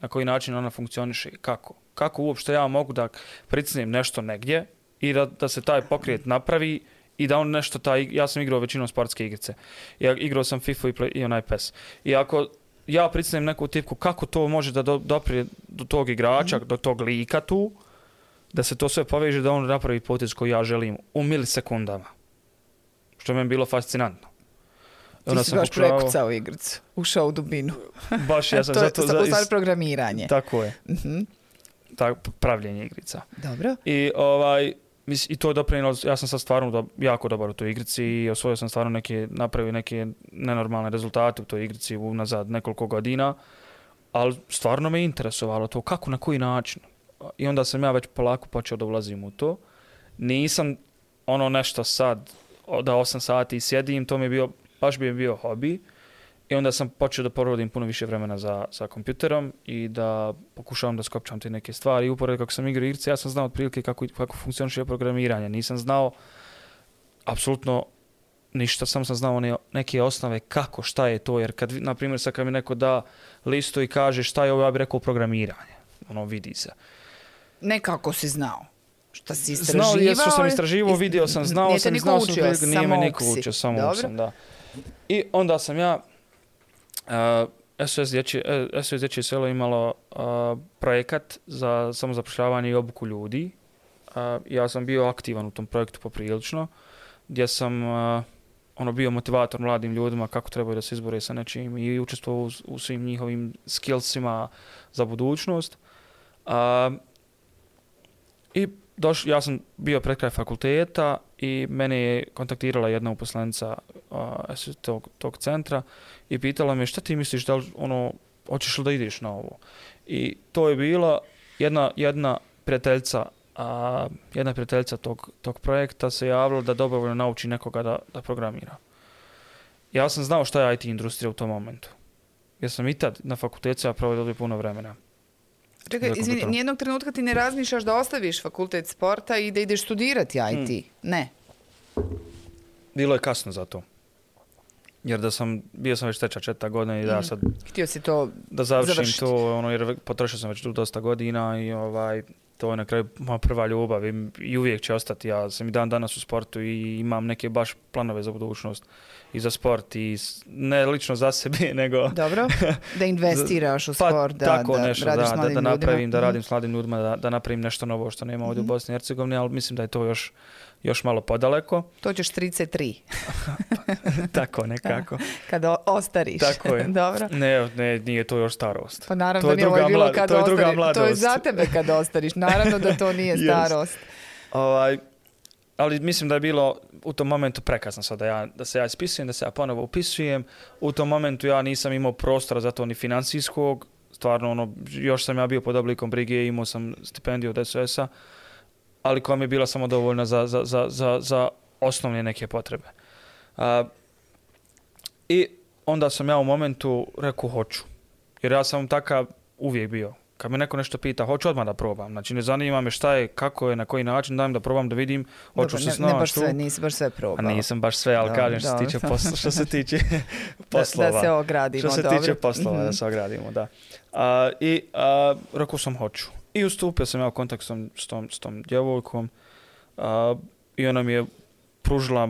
Na koji način ona funkcioniše i kako. Kako uopšte ja mogu da pricnem nešto negdje i da se taj pokret napravi i da on nešto ja sam igrao većinom sportske igrice. Ja igrao sam FIFA i onaj PES. I ako ja pricnem neku tipku, kako to može da doprije do tog igrača, do tog lika tu, da se to sve poveže, da on napravi potez koji ja želim u milisekundama. Što je meni bilo fascinantno. Ti si baš prekucao igricu, ušao u dubinu. Baš ja sam zato... To je u stvari programiranje. Tako je. Pravljenje igrica. Dobro. I to je doprinjelo, ja sam sad stvarno jako dobar u toj igrici i osvojio sam stvarno napravio neke nenormalne rezultate u toj igrici unazad nekoliko godina, ali stvarno me interesovalo to kako, na koji način. I onda sam ja već polako počeo da ulazim u to. Nisam nešto sad da 8 sati sjedim, to mi je baš bi bio hobi. I onda sam počeo da provodim puno više vremena za kompjuterom i da pokušavam da skopčam te neke stvari. I upored kako sam igrao igrice, ja sam znao otprilike kako funkcioniše programiranje. Nisam znao apsolutno ništa, sam znao neke osnove kako, šta je to. Jer kad, na primjer, sad kad mi neko da listu i kaže šta je ovo, ja bih rekao programiranje. Ono, vidi se. Ne kako si znao. Šta si istraživao? Znao, jer što sam istraživao, vidio sam, znao sam, nije me niko učio, samo sam, da. I onda sam ja, SOS Dječje selo imalo projekat za samozapošljavanje i obuku ljudi. Ja sam bio aktivan u tom projektu poprilično, gdje sam bio motivator mladim ljudima kako trebaju da se izbore sa nečim i učestvovao u svim njihovim skillsima za budućnost. I ja sam bio pred kraj fakulteta i mene je kontaktirala jedna uposlenica tog centra i pitala me šta ti misliš, da li, hoćeš li da ideš na ovo? I to je bila jedna prijateljica tog projekta se javila da dobrovoljno nauči nekoga da programira. Ja sam znao šta je IT industrija u tom momentu. Jer sam i tad na fakultetu ja provodio puno vremena. Čekaj, izvini, nijednog trenutka ti ne razmišljaš da ostaviš fakultet sporta i da ideš studirati IT? Ne. Bilo je kasno za to. Jer bio sam već teča 4 godina i da sad... Htio si to da završiti. To, jer potrošio sam već dosta godina i to je na kraju moja prva ljubav i uvijek će ostati. Ja sam i dan danas u sportu i imam neke baš planove za budućnost i za sport i ne lično za sebe, nego... Dobro, da investiraš u sport, da radiš s mladim ljudima. Da radim s mladim ljudima, da napravim nešto novo što nema ovdje u Bosni i Hercegovini, ali mislim da je to još malo podaleko. To ćeš 33. Tako, nekako. Kada ostariš. Tako je. Dobro. Ne, nije to još starost. Pa naravno da nije ovo bilo kada ostariš. To je za tebe kada ostariš. Naravno da to nije starost. Ali mislim da je bilo u tom momentu prekasno sad da se ja ispisujem, da se ja ponovo upisujem. U tom momentu ja nisam imao prostora za to ni financijskog. Stvarno, još sam ja bio pod oblikom brige, imao sam stipendiju od SOS-a, ali koja mi je bila samo dovoljna za osnovne neke potrebe. I onda sam ja u momentu rekao hoću. Jer ja sam takav uvijek bio. Kad me neko nešto pita, hoću odmah da probam. Znači, ne zanima me šta je, kako je, na koji način, dajem da probam, da vidim, hoću se snaći. Ne baš sve, nisi baš sve probao. Nisam baš sve, ali kažem što se tiče poslova. Da se ogradimo, što se tiče poslova, da se ogradimo, da. Rekao sam hoću. I ustupio sam ja u kontakt s tom djevojkom i ona mi je pružila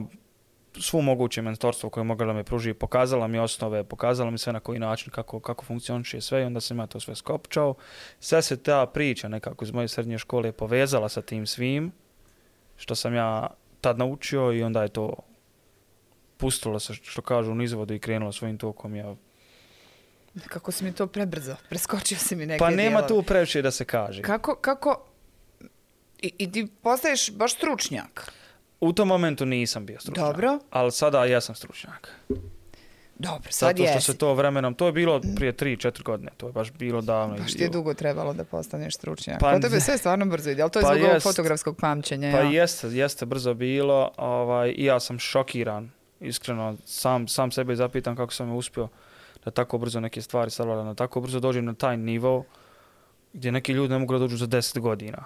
svu moguće mentorstvo koje je mogla da me pruži, pokazala mi osnove, pokazala mi sve na koji način, kako funkcioniše sve i onda sam ja to sve skopčao. Sve se ta priča nekako iz moje srednje škole povezala sa tim svim što sam ja tad naučio i onda je to pustilo se, što kažu, u nizvodu i krenulo svojim tokom. Ja. Kako si mi to prebrzo, preskočio si mi neke Pa nema dijelove. tu previše da se kaže. Kako I ti postaješ baš stručnjak? U tom momentu nisam bio stručnjak. Dobro. Ali sada ja sam stručnjak. Dobro, sad jesi. Zato što se to vremenom, to je bilo prije 3-4 godine, to je baš bilo davno. Baš ti je dugo trebalo da postaneš stručnjak. Kod tebe sve stvarno brzo ide, ali to je zbog ovog fotografskog pamćenja. Pa jeste brzo bilo i ja sam šokiran, iskreno, sam sebe zapitam kako sam uspio da tako brzo neke stvari savladam, da tako brzo dođem na taj nivo gdje neki ljudi ne mogu da dođu za 10 godina.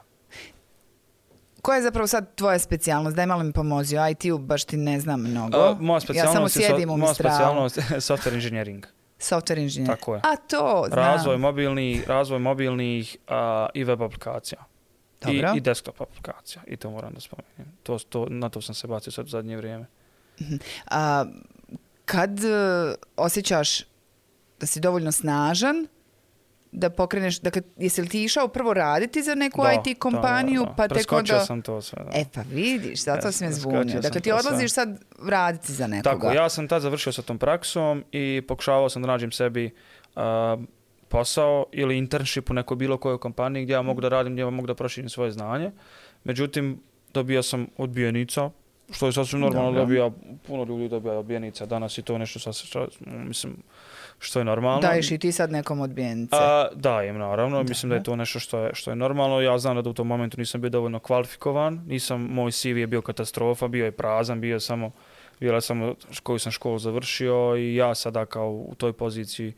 Koja je zapravo sad tvoja specijalnost? Daj malo mi pomozi. O IT-u baš ti ne znam mnogo. Moja specijalnost je software engineering. Software engineering. Tako je. A to znam. Razvoj mobilnih i web aplikacija. I desktop aplikacija. I to moram da spomenem. Na to sam se bacio sad u zadnje vrijeme. Kad osjećaš da si dovoljno snažan, da pokreneš, dakle, jesi li ti išao prvo raditi za neku IT kompaniju? Da. Pa preskočio sam to sve. Da. Pa vidiš, zato si me zbunio. Dakle, ti odlaziš sad raditi za nekoga. Tako, ja sam tad završio sa tom praksom i pokušavao sam da nađem sebi posao ili internship u nekoj bilo kojoj kompaniji gdje ja mogu da radim, gdje ja mogu da proširim svoje znanje. Međutim, dobio sam odbijenica, što je sasvim normalno, puno ljudi dobija odbijenica danas i to je nešto mislim, što je normalno. Daješ i ti sad nekom odbijenice? Dajem, naravno. Mislim da je to nešto što je normalno. Ja znam da u tom momentu nisam bio dovoljno kvalifikovan. Moj CV je bio katastrofa, bio je prazan, bio je samo bila samo koju sam školu završio i ja sada kao u toj poziciji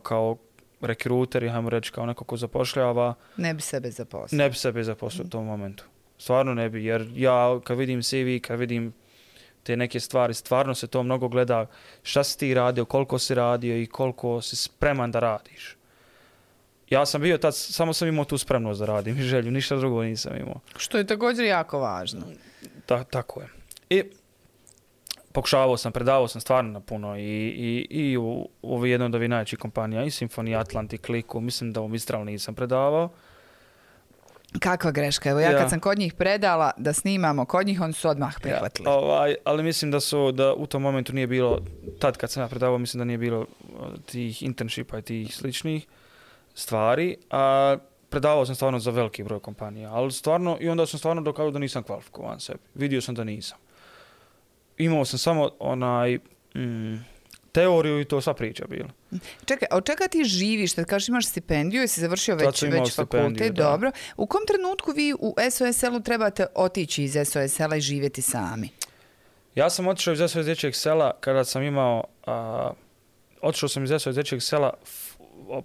kao rekruter, hajmo reći, kao neko ko zapošljava. Ne bi sebe zaposlio. Ne bi sebe zaposlio u tom momentu. Stvarno ne bi, jer ja kad vidim CV, kad vidim te neke stvari, stvarno se to mnogo gleda šta si ti radio, koliko si radio i koliko si spreman da radiš. Ja sam bio tad, samo sam imao tu spremnost da radim i želju, ništa drugo nisam imao. Što je također jako važno. Tako je. I pokušavao sam, predavao sam stvarno na puno i u jednoj od ovih najvećih kompanija, i Symphony, Atlantic, Kliku, mislim da u Mistral nisam predavao. Kakva greška. Evo ja kad sam kod njih predala da snimamo kod njih, oni su odmah prihvatili. Ali mislim da u tom momentu nije bilo, tad kad sam ja predavao, mislim da nije bilo tih internshipa i tih sličnih stvari. A predavao sam stvarno za veliki broj kompanija, ali stvarno, i onda sam stvarno dokazao da nisam kvalifikovan sebi. Vidio sam da nisam. Imao sam samo teoriju i to sva priča bila. Čekaj, od čega ti živiš? Kad kažeš imaš stipendiju, jesi završio već fakultet, dobro. U kom trenutku vi u SOS-u trebate otići iz SOS-a i živjeti sami? Ja sam otišao iz SOS dječjeg sela kada sam imao... otišao sam iz SOS dječjeg sela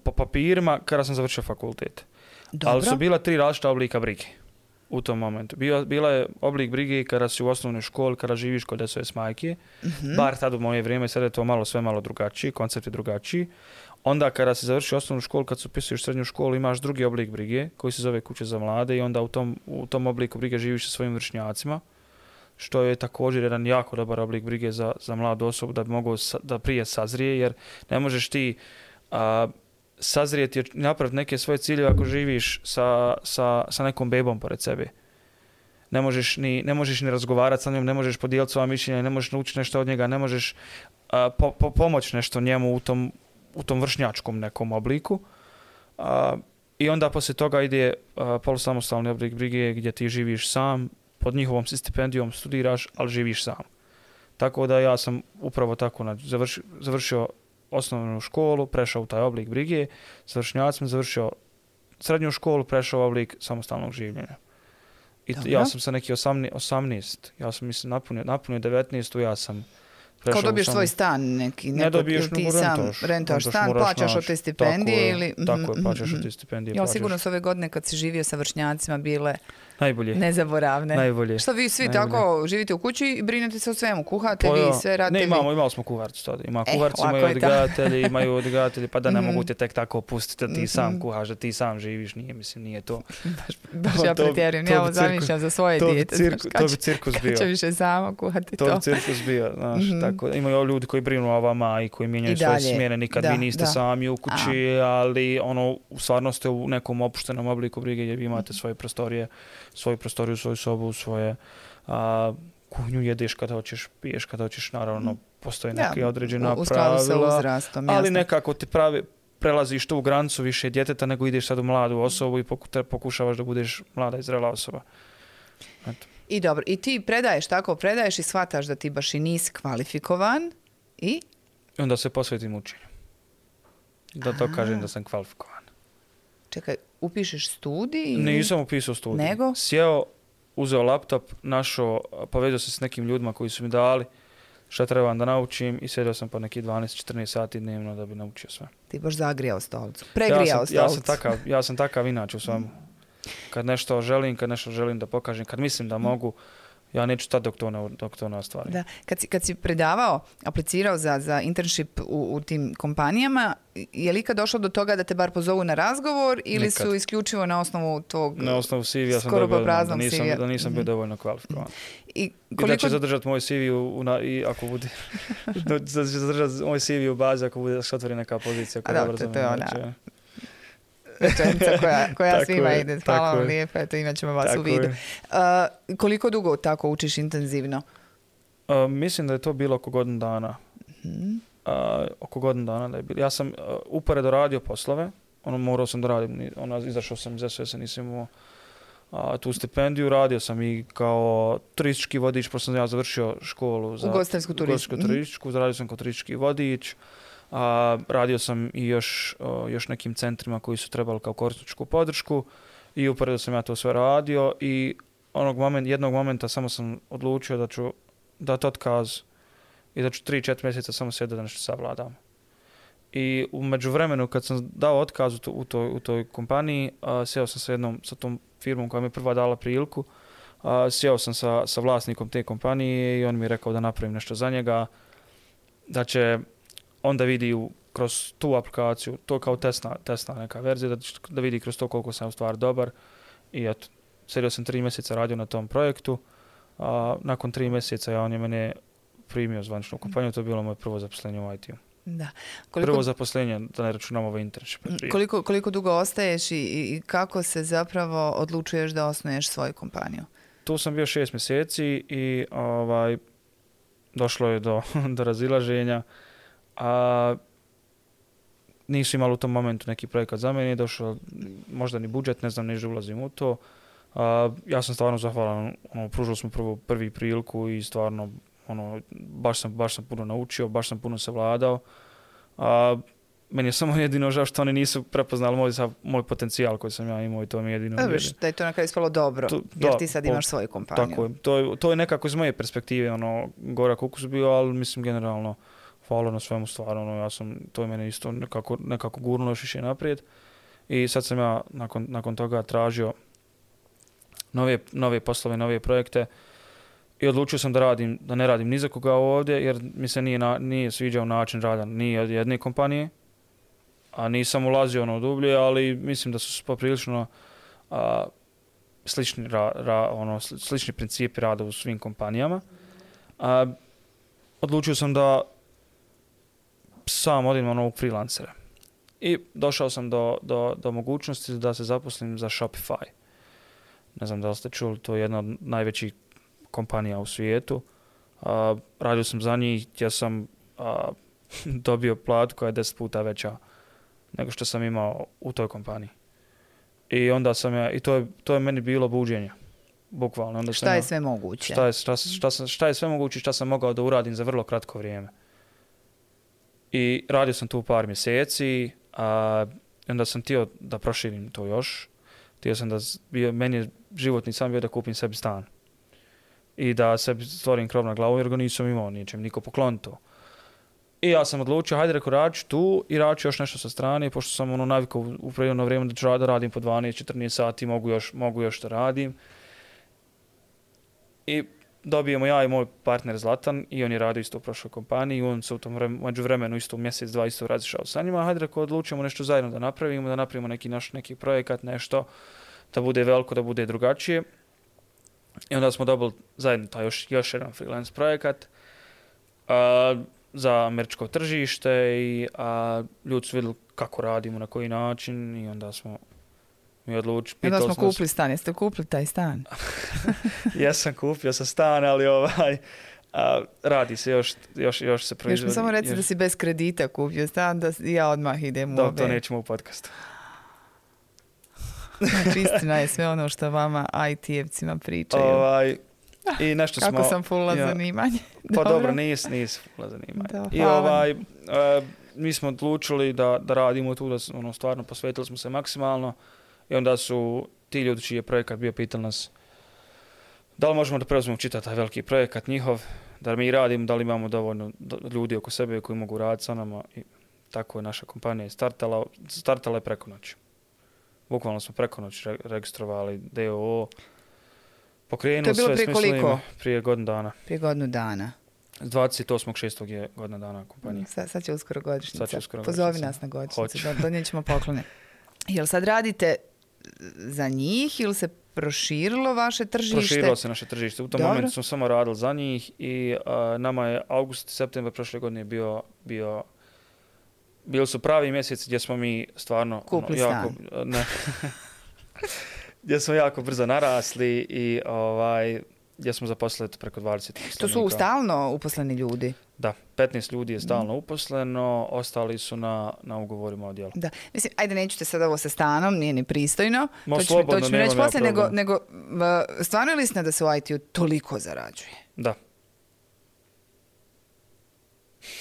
po papirima kada sam završio fakultet. Dobro. Ali su bila 3 različita oblika brige u tom momentu. Bila je oblik brige kada si u osnovnoj školi, kada živiš kod SOS majke. Bar tad u moje vrijeme, sad je to sve malo drugačiji, koncept je drugačiji. Onda kada si završio osnovnu školu, kad se upisuješ srednju školu, imaš drugi oblik brige koji se zove kuća za mlade i onda u tom obliku brige živiš sa svojim vršnjacima, što je također jedan jako dobar oblik brige za mladu osobu da bi mogao da prije sazrije, jer ne možeš ti sazrijeti i napraviti neke svoje ciljeve ako živiš sa nekom bebom pored sebe. Ne možeš ni razgovarati sa njom, ne možeš podijeliti svoja mišljenja, ne možeš naučiti nešto od njega, ne možeš pomoći nešto njemu u tom vršnjačkom nekom obliku. I onda poslije toga ide polusamostalni oblik brige gdje ti živiš sam, pod njihovom stipendijom studiraš, ali živiš sam. Tako da ja sam upravo tako završio osnovnu školu, prešao u taj oblik brige, sa vršnjacima završio srednju školu, prešao u oblik samostalnog življenja. I ja sam sa neki 18, ja sam mislim napunio 19, ja sam prešao. Kao dobiješ svoj stan neki, ne dobiješ, ili ti sam rentaš stan, plaćaš od te stipendije ili... Tako je, plaćaš od te stipendije. Jel sigurno su ove godine kad si živio sa vršnjacima bile najbolje. Nezaboravne. Najbolje. Što vi svi tako živite u kući i brinete se o svemu, kuhate vi, sve radite vi? Ne, imali smo kuharcu tada. Kuharci imaju odgajatelji, pa da ne mogu te tek tako pustiti da ti sam kuhaš, da ti sam živiš, nije to. Baš ja pretjerujem, ja ovo zamišljam za svoje dijete. To bi cirkus bio. Kad će više samo kuhati to. To bi cirkus bio, znaš, tako. Imaju ljudi koji brinu o vama i koji mijenjaju svoje smjene, nikad vi niste sami u kući, ali stvarno ste u nekom opuštenom obliku brige gdje vi imate svoje prostorije, svoju prostoriju, svoju sobu, svoje kuhinju, jedeš kada hoćeš, piješ kada hoćeš, naravno postoji neka određena pravila, skladu sa uzrastom, ali nekako ti prelaziš tu granicu više djeteta nego ideš sad u mladu osobu i pokušavaš da budeš mlada i zrela osoba. Eto. I dobro, i ti predaješ i shvataš da ti baš i nisi kvalifikovan i onda se posvetim učenju. Da to kažem da sam kvalifikovan. Čekaj, upišeš studij? Ili? Nisam upisao studij. Nego? Sjeo, uzeo laptop, povezao se s nekim ljudima koji su mi dali šta trebam da naučim i sjedio sam po neki 12-14 sati dnevno da bi naučio sve. Ti baš zagrijao stolicu. Pregrijao stolicu. Ja sam takav inače u svemu. Kad nešto želim da pokažem, kad mislim da mogu, ja neću stati dok to ne ostvarim. Da. Kad si predavao, aplicirao za internship u tim kompanijama, je li ikad došlo do toga da te bar pozovu na razgovor ili nikad. Su isključivo na osnovu tog na osnovu CV-a sam dobio da nisam bio dovoljno kvalifikovan. I da će zadržati moj CV i ako bude da će zadržati moj CV u bazi ako bude se otvori neka pozicija koja je brzo. Rečenica koja svima ide. Hvala vam lijepo, eto imat ćemo vas u vidu. Koliko dugo tako učiš intenzivno? Mislim da je to bilo oko godinu dana. Oko godinu dana da je bilo. Ja sam uporedo radio poslove, morao sam da radim, izašao sam iz SOS-a, nisam imao tu stipendiju, radio sam i kao turistički vodič, pošto sam ja završio školu za ugostiteljsku turističku, radio sam kao turistički vodič. Radio sam i još nekim centrima koji su trebali kao korisničku podršku i uporedo sam ja to sve radio i jednog momenta samo sam odlučio da ću dati otkaz i za 3-4 mjeseca samo sjedio da nešto savladam. I u međuvremenu kad sam dao otkaz u toj kompaniji, sjeo sam sa tom firmom koja mi je prva dala priliku, sjeo sam sa vlasnikom te kompanije i on mi je rekao da napravim nešto za njega, da će onda vidi kroz tu aplikaciju, to kao testna neka verzija, da vidi kroz to koliko sam u stvari dobar. I eto, sjedio sam 3 mjeseca radio na tom projektu, nakon 3 mjeseca on je mene primio zvanično u kompaniju, to je bilo moje prvo zaposlenje u IT-u. Da. Prvo zaposlenje, da ne računam ovaj internship. Koliko dugo ostaješ i kako se zapravo odlučuješ da osnuješ svoju kompaniju? Tu sam bio 6 mjeseci i došlo je do razilaženja. Nisu imali u tom momentu neki projekat za mene, nije došao možda ni budžet, ne znam, nežda ulazim u to. Ja sam stvarno zahvalan, pružili smo prvi priliku i stvarno baš sam puno naučio, baš sam puno savladao. Meni je samo jedino žao što oni nisu prepoznali moj potencijal koji sam ja imao i to mi je jedino. Da je to na kraju ispalo dobro, jer ti sad imaš svoju kompaniju. Tako je. To je nekako iz moje perspektive gorak ukus bio, ali mislim generalno hvala na svemu stvarno. To je mene isto nekako gurnulo još više naprijed. I sad sam ja nakon toga tražio nove poslove, nove projekte. I odlučio sam da ne radim ni za koga ovdje, jer mi se nije sviđao način rada ni od jedne kompanije, a nisam ulazio dublje, ali mislim da su poprilično slični principi rada u svim kompanijama. Odlučio sam da sam odem u freelancera. I došao sam do mogućnosti da se zaposlim za Shopify. Ne znam da li ste čuli, to je jedna od najvećih kompanija u svijetu. Radio sam za njih gdje sam dobio platu koja je 10 puta veća nego što sam imao u toj kompaniji. I onda sam to je meni bilo buđenje. Bukvalno. Onda šta je sve moguće? Šta je sve moguće, šta sam mogao da uradim za vrlo kratko vrijeme. I radio sam tu par mjeseci, onda sam htio da proširim to još. Htio sam meni je životni san bio da kupim sebi stan. I da sebi stvorim krov na glavu jer ga nisam imao ničem, niko poklon to. I ja sam odlučio, hajde reko radit ću tu i radit ću još nešto sa strane, pošto sam navikao u predivno vrijeme da ću da radim po 12-14 sati, mogu još da radim. I dobijemo ja i moj partner Zlatan i on je radio isto u prošloj kompaniji i on se u tom međuvremenu isto mjesec, dva isto razišao sa njima. Hajde reko odlučimo nešto zajedno da napravimo neki projekat, nešto da bude veliko, da bude drugačije. I onda smo dobili zajedno taj još jedan freelance projekat za američko tržište i ljudi su vidjeli kako radimo, na koji način i onda smo mi odlučili. Onda smo kupili stan. Jeste kupili taj stan? Kupio sam stan, ali radi se još se proizvodi. Još mi samo reci da si bez kredita kupio stan, da ja odmah idem u ove. To nećemo u podcastu. Znači, istina je sve ono što vama IT-evcima pričaju. I nešto kako sam fulla zanimanje. Pa dobro, nisi fulla zanimanje. I mi smo odlučili da radimo tu, da stvarno posvetili smo se maksimalno i onda su ti ljudi čiji je projekat bio pitali nas da li možemo da preuzmemo čitav taj veliki projekat njihov, da mi radimo, da li imamo dovoljno ljudi oko sebe koji mogu raditi sa nama i tako je naša kompanija startala je preko noći. Bukvalno smo preko noći registrovali DOO, pokrenuli sve. To je bilo prije koliko? Prije godinu dana. Prije godinu dana. 28.6. je godina dana kompanije. Sad će uskoro godišnjica. Pozovi nas na godišnjicu, donijet ćemo poklone. Jel sad radite za njih ili se proširilo vaše tržište? Proširilo se naše tržište. U tom momentu smo samo radili za njih i nama je august, septembar prošle godine bili su pravi mjeseci gdje smo mi stvarno gdje smo jako brzo narasli i gdje smo zaposlili preko 20 uposlenika. To su stalno uposleni ljudi? Da, 15 ljudi je stalno uposleno, ostali su na ugovorima o djelu. Da, mislim, ajde neću te sad ovo sa stanom, nije ni pristojno. To ću mi reći poslije, nego stvarno je li istina da se u IT-u toliko zarađuje? Da.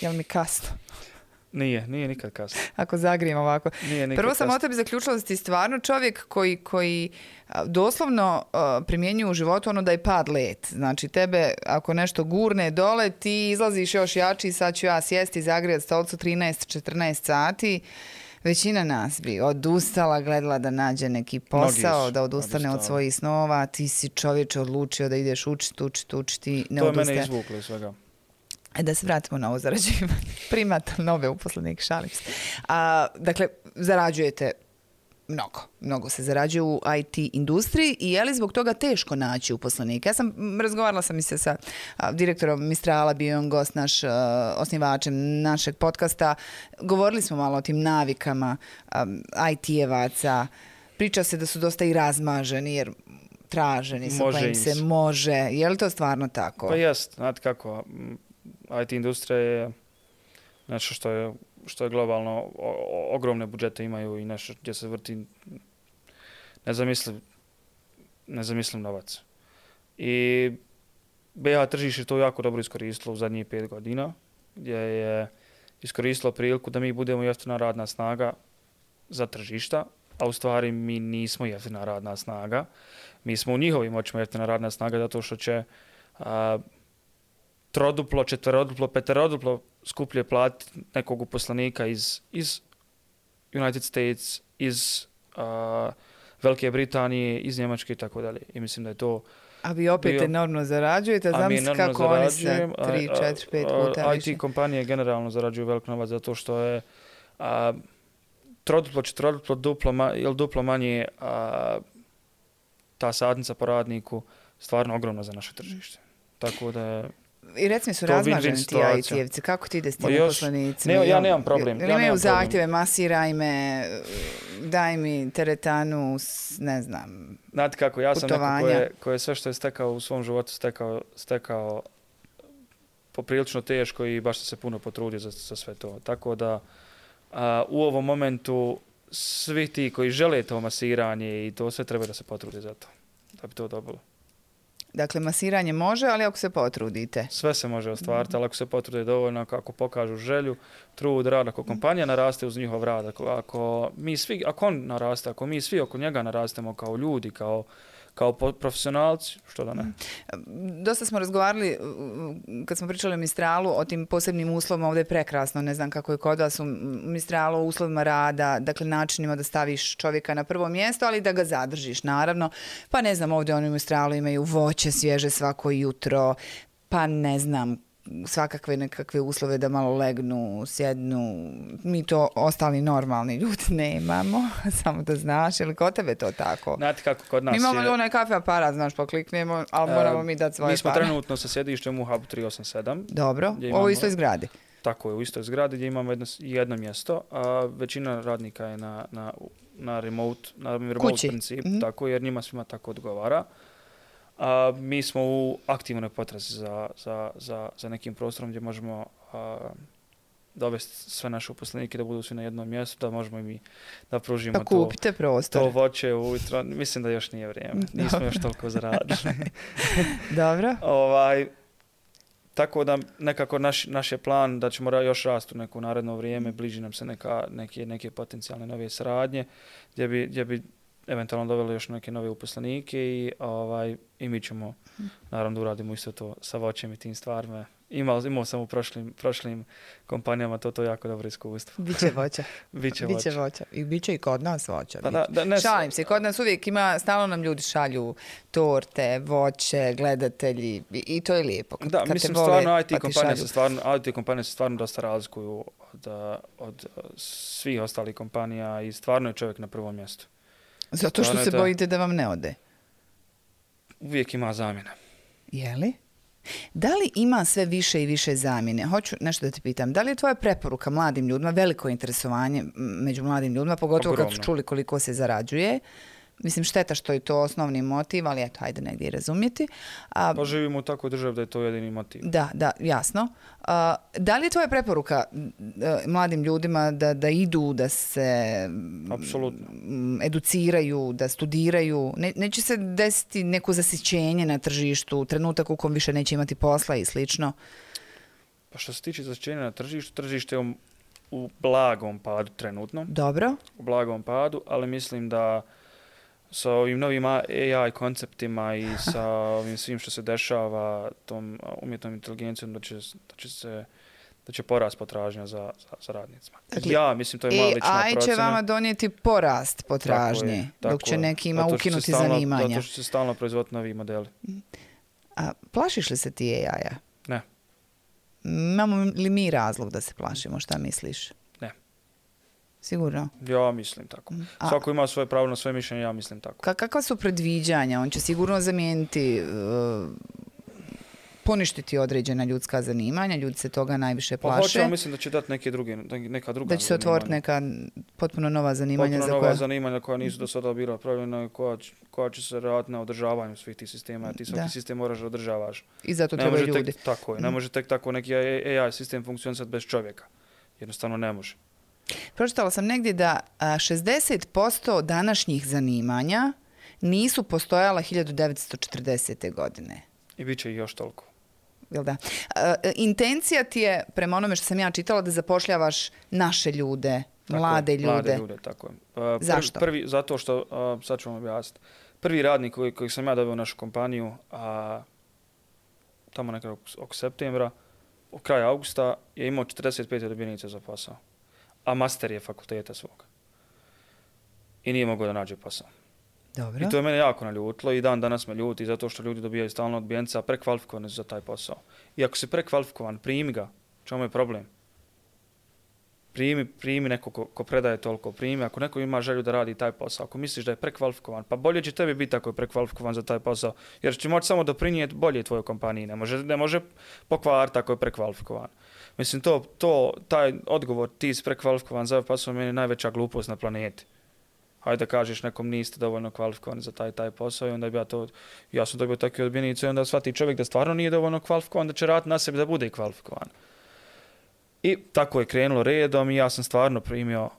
Jel mi kasno? Nije nikad kasno. Ako zagrijem ovako. Prvo sam o tebi zaključila da si ti stvarno čovjek koji doslovno primjenjuje u životu ono da je pad let. Znači tebe ako nešto gurne dole, ti izlaziš još jači, sad ću ja sjesti i zagrijati stolicu 13-14 sati. Većina nas bi odustala, gledala da nađe neki posao, da odustane od svojih snova. Ti si čovječe odlučio da ideš učiti, ne odustaje. To je mene izvuklo iz svega. Da se vratimo na ovo zarađivanje. Primate nove uposlenike, šalim se. Dakle, zarađujete mnogo se zarađuje u IT industriji i je li zbog toga teško naći uposlenike? Razgovarala sam i se sa direktorom Mistrala, bio on gost naš, osnivačem našeg podcasta. Govorili smo malo o tim navikama IT-evaca. Priča se da su dosta i razmaženi jer traženi su, pa im se može. Je li to stvarno tako? Pa jest, znate kako, IT industrija je nešto što je globalno, ogromne budžete imaju i nešto gdje se vrti nezamisliv novac. I BiH tržište to jako dobro iskoristilo u zadnjih 5 godina, gdje je iskoristilo priliku da mi budemo jeftina radna snaga za tržišta, a u stvari mi nismo jeftina radna snaga. Mi smo u njihovim očima jeftina radna snaga zato što će troduplo, četveroduplo, peteroduplo skuplje platiti nekog uposlenika iz United States, iz Velike Britanije, iz Njemačke i tako dalje. I mislim da je to... A vi opet enormno zarađujete, znam kako oni sa 3, 4, 5 puta više. IT kompanije generalno zarađuju velik novac zato što je troduplo, četveroduplo, duplo manje ta satnica po radniku stvarno ogromna za naše tržište. Tako da i recimo su razmaženi ti IT-evci. Kako ti ide s tim uposlenicima? Ja nemam problem. Imaju zahtjeve, masiraj me, daj mi teretanu, ne znam, znate kako, ja sam neko ko je sve što je stekao u svom životu stekao poprilično teško i baš se puno potrudio za sve to. Tako da u ovom momentu svi ti koji žele to masiranje i to sve treba da se potrude za to, da bi to dobilo. Dakle, masiranje može, ali ako se potrudite. Sve se može ostvariti, ali ako se potrude dovoljno, ako pokažu želju, trud, rad, ako kompanija naraste uz njihov rad, ako on naraste, ako mi svi oko njega narastemo kao ljudi, kao profesionalci, što da ne. Dosta smo razgovarali, kad smo pričali o Mistralu, o tim posebnim uslovima, ovdje je prekrasno, ne znam kako je kod vas u Mistralu, o uslovima rada, dakle načinima da staviš čovjeka na prvo mjesto, ali da ga zadržiš, naravno. Pa ne znam, ovdje oni u Mistralu imaju voće svježe svako jutro, pa ne znam, svakakve nekakve uslove da malo legnu, sjednu. Mi to ostali normalni ljudi nemamo, samo da znaš, ili kod tebe to tako? Znate kako kod nas mi imamo onaj kafe aparat, znaš, pokliknemo, ali moramo mi dati svoje pare. Mi smo trenutno sa sjedištem u Hubu 387. Dobro, ovo istoj zgradi. Tako je, u istoj zgradi gdje imamo jedno mjesto, a većina radnika je na remote principu, tako, jer njima svima tako odgovara. Mi smo u aktivnoj potrazi za nekim prostorom gdje možemo dovesti sve naše uposlenike da budu svi na jednom mjestu, da možemo i mi da pružimo to voće ujutro. Mislim da još nije vrijeme. Nismo još toliko zaradili. Dobro. Tako da nekako naš je plan da ćemo još rasti u neko naredno vrijeme, bliži nam se neke potencijalne nove saradnje gdje bi eventualno doveli još neke nove uposlenike i mi ćemo naravno da uradimo isto to sa voćem i tim stvarima. Imao sam u prošlim kompanijama to jako dobro iskustvo. Biće voća. Biće voća. I biće i kod nas voća. Pa šalim se, kod nas uvijek ima, stalno nam ljudi šalju torte, voće, gledatelji i to je lijepo. Kad mislim stvarno IT kompanije se stvarno dosta razlikuju od svih ostalih kompanija i stvarno je čovjek na prvom mjestu. Zato što se bojite da vam ne ode? Uvijek ima zamjena. Je li? Da li ima sve više i više zamjene? Hoću nešto da te pitam. Da li je tvoja preporuka mladim ljudima, veliko interesovanje među mladim ljudima, pogotovo kad su čuli koliko se zarađuje? Mislim, šteta što je to osnovni motiv, ali eto, hajde negdje i razumjeti. Pa živimo u takvoj državi da je to jedini motiv. Da, jasno. Da li je tvoja preporuka mladim ljudima da idu, da se educiraju, da studiraju? Neće se desiti neko zasićenje na tržištu, trenutak u kom više neće imati posla i slično? Pa što se tiče zasićenja na tržištu, tržište je u blagom padu trenutno. Dobro. U blagom padu, ali mislim da sa ovim novim AI konceptima i sa ovim svim što se dešava, tom umjetnom inteligencijom, da će porast potražnja za radnicima. Dakle, ja mislim, to je moja lična procena. AI će vama donijeti porast potražnje, dok će nekima ukinuti zanimanja. Zato što će stalno proizvoditi novi modeli. A plašiš li se ti AI-a? Ne. Imamo li mi razlog da se plašimo? Šta misliš? Ne. Sigurno? Ja mislim tako. Svako ima svoje pravo na svoje mišljenje, ja mislim tako. Kakva su predviđanja? On će sigurno zamijeniti, poništiti određena ljudska zanimanja, ljudi se toga najviše plaše. Hoće, mislim da će dati neka druga zanimanja. Da će se otvoriti neka potpuno nova zanimanja. Zanimanja koja nisu do sada bila pravilna, koja će se raditi na održavanju svih tih sistema. Ti svaki sistem moraš da održavaš. I zato trebaju ljudi. Tako je. Ne može tek tako neki AI sistem funkcionisati bez čovjeka. Jednostavno ne može. Pročitala sam negdje da 60% današnjih zanimanja nisu postojala 1940. godine. I bit će ih još toliko. Jel da? Intencija ti je, prema onome što sam ja čitala, da zapošljavaš naše ljude, mlade ljude. Mlade ljude, tako je. Zašto? Zato što, sad ću vam objasniti, prvi radnik koji sam ja dobio u našu kompaniju, tamo nekako oko septembra, u kraju augusta, je imao 45 odbijenica za posao. A master je fakulteta svog. I nije mogao da nađe posao. Dobro. I to je mene jako naljutilo i dan danas me ljuti zato što ljudi dobijaju stalno odbijenca, prekvalifikovani za taj posao. I ako si prekvalifikovan, primi ga. Čemu je problem? Primi neko ko predaje toliko, primi. Ako neko ima želju da radi taj posao, ako misliš da je prekvalifikovan, pa bolje će tebi biti ako je prekvalifikovan za taj posao, jer će moći samo doprinijeti bolje tvojoj kompaniji. Ne može pokvariti ako je prekvalifikovan. Mislim, taj odgovor, ti si prekvalifikovan za posao, meni je najveća glupost na planeti. Hajde da kažeš nekom niste dovoljno kvalifikovani za taj posao i onda bi ja sam dobio takve odbijenice i onda shvati čovjek da stvarno nije dovoljno kvalifikovan, da će raditi na sebi da bude kvalifikovan. I tako je krenulo redom i ja sam stvarno primio,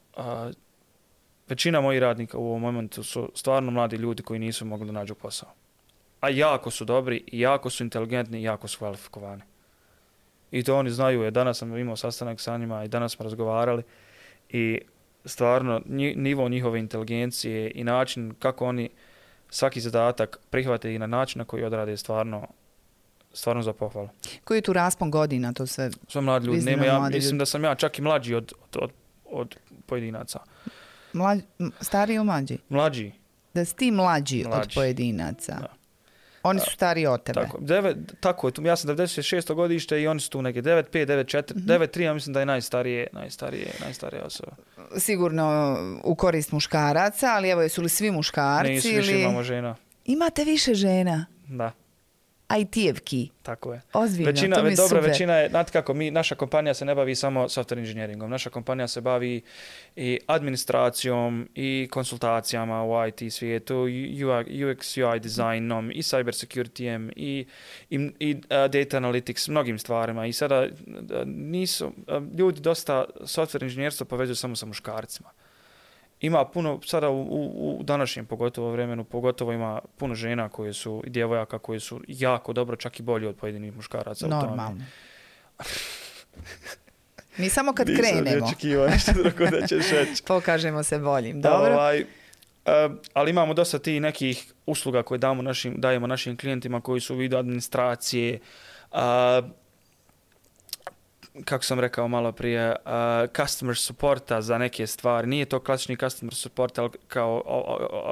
većina mojih radnika u ovom momentu su stvarno mladi ljudi koji nisu mogli da nađu posao. A jako su dobri, jako su inteligentni i jako su kvalifikovani. I to oni znaju, jer danas sam imao sastanak sa njima i danas smo razgovarali i stvarno nivo njihove inteligencije i način kako oni svaki zadatak prihvate i na način na koji odrade stvarno za pohvalu. Koji je tu raspon godina? To sve mladi ljudi. Mislim da sam ja čak i mlađi od pojedinaca. Stariji ili mlađi? Mlađi. Da si ti mlađi od pojedinaca. Da. Oni su stariji od tebe. Tako je. Ja sam 96. godište i oni su tu neke 9.5, 9.4, 9.3, ja mislim da je najstarija osoba. Sigurno u korist muškaraca, ali evo, jesu li svi muškarci? Nisu, više imamo žena. Imate više žena? Da. IT-evki. Tako je. Ozbiljno, to mi je super. Većina je, znate kako, naša kompanija se ne bavi samo software inženjeringom. Naša kompanija se bavi i administracijom i konsultacijama u IT svijetu, UX, UI dizajnom i cyber securityjem i data analytics, mnogim stvarima. I sada ljudi dosta software inženjerstvo povezuju samo sa muškarcima. Ima puno, sada u današnjem pogotovo vremenu, pogotovo ima puno žena koje su, i djevojaka koje su jako dobro, čak i bolji od pojedinih muškaraca. Normalno. Mi samo kad krenemo. Nisam očekivao nešto drugo da ćeš reći. Pokažemo se boljim. Dobro. Ali imamo dosta tih nekih usluga koje dajemo našim klijentima koji su u vidu administracije, kako sam rekao malo prije, customer supporta za neke stvari. Nije to klasični customer support, ali kao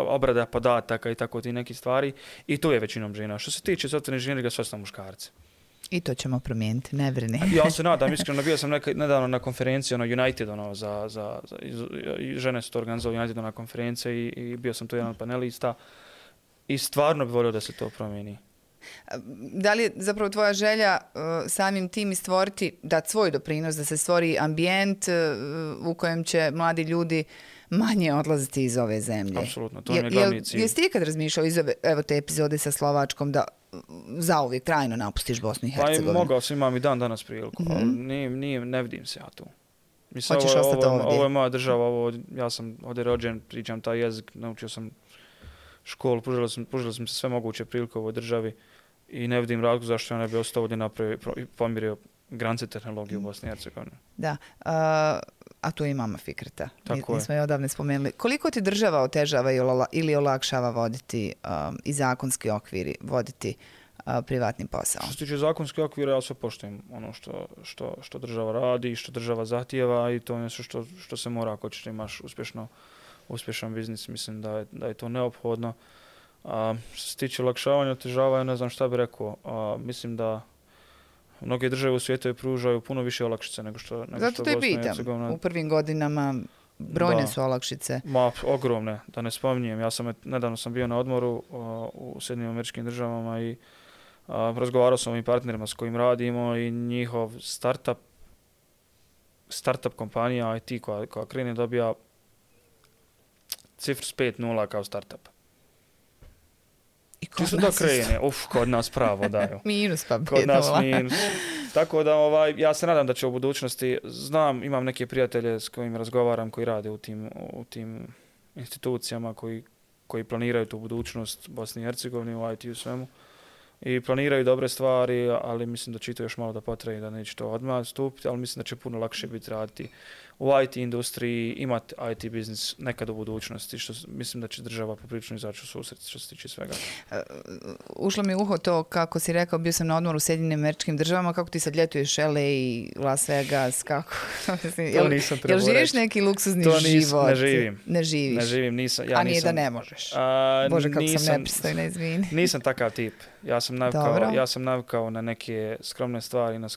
obrada podataka i tako ti neke stvari. I tu je većinom žena. Što se tiče software inženjeringa, sve su muškarci. I to ćemo promijeniti, ne brini. Ja se nadam, iskreno, bio sam nedavno na konferenciji United, žene su to organizovali United na konferenciji i bio sam tu jedan od panelista i stvarno bih volio da se to promijeni. Da li je zapravo tvoja želja samim tim i stvoriti, dati svoj doprinos, da se stvori ambijent u kojem će mladi ljudi manje odlaziti iz ove zemlje? Apsolutno, to je glavni cilj. Jesi ti ikad razmišljao iz te epizode sa Slovačkom da zauvijek trajno napustiš Bosnu i Hercegovinu? Pa mogao sam, imam i danas priliku, ali ne vidim se ja tu. Mislim, hoćeš ostati ovdje? Ovo je moja država, ja sam ovdje rođen, pričam taj jezik, naučio sam školu, pružili smo se sve moguće prilike u ovoj državi i ne vidim razlog zašto ja ne bi ostao ovdje pomirio granice tehnologije u Bosni i Hercegovini. Da. A tu imamo Fikreta. Nismo je odavne spomenuli. Koliko ti država otežava ili olakšava voditi i zakonski okviri, voditi privatni posao? Što se tiče zakonskih okvira, ja sve poštujem ono što država radi, što država zahtijeva i to je nešto što se mora ako ćeš imaš uspješan biznis. Mislim da je to neophodno. Što se tiče olakšavanja, otežavanja, ne znam šta bih rekao. Mislim da mnoge države u svijetu pružaju puno više olakšice nego što Zato te pitam. U prvim godinama brojne su olakšice. Ogromne, da ne spominjem. Nedavno sam bio na odmoru u Sjedinjenim Američkim Državama i razgovarao sam o ovim partnerima s kojim radimo i njihov startup kompanija IT koja krene dobija cifru s 5-0 kao startup. Čisto da krene, kod nas pravo daju. Minus pa 5-0. Kod nas minus. Tako da ja se nadam da će u budućnosti, imam neke prijatelje s kojim razgovaram koji rade u tim institucijama koji planiraju tu budućnost Bosne i Hercegovine u IT u svemu. I planiraju dobre stvari, ali mislim da će to još malo da potraje, da neće to odmah stupiti, ali mislim da će puno lakše biti raditi u IT industriji, imati IT biznis nekad u budućnosti, što mislim da će država poprilično izaći u susret što se tiče svega. Ušlo mi u uho to, kako si rekao, bio sam na odmoru u Sjedinjenim Američkim Državama, kako ti sad ljetuješ LA i Las Vegas, kako? To nisam trebao reći. Jel živiš neki luksuzni život? Ne živim. Ne živiš? Ne živim, nisam. A nije da ne možeš? Bože, kako sam nepristojna, izvini. Nisam takav tip. Ja sam navikao na neke skromne stvari, na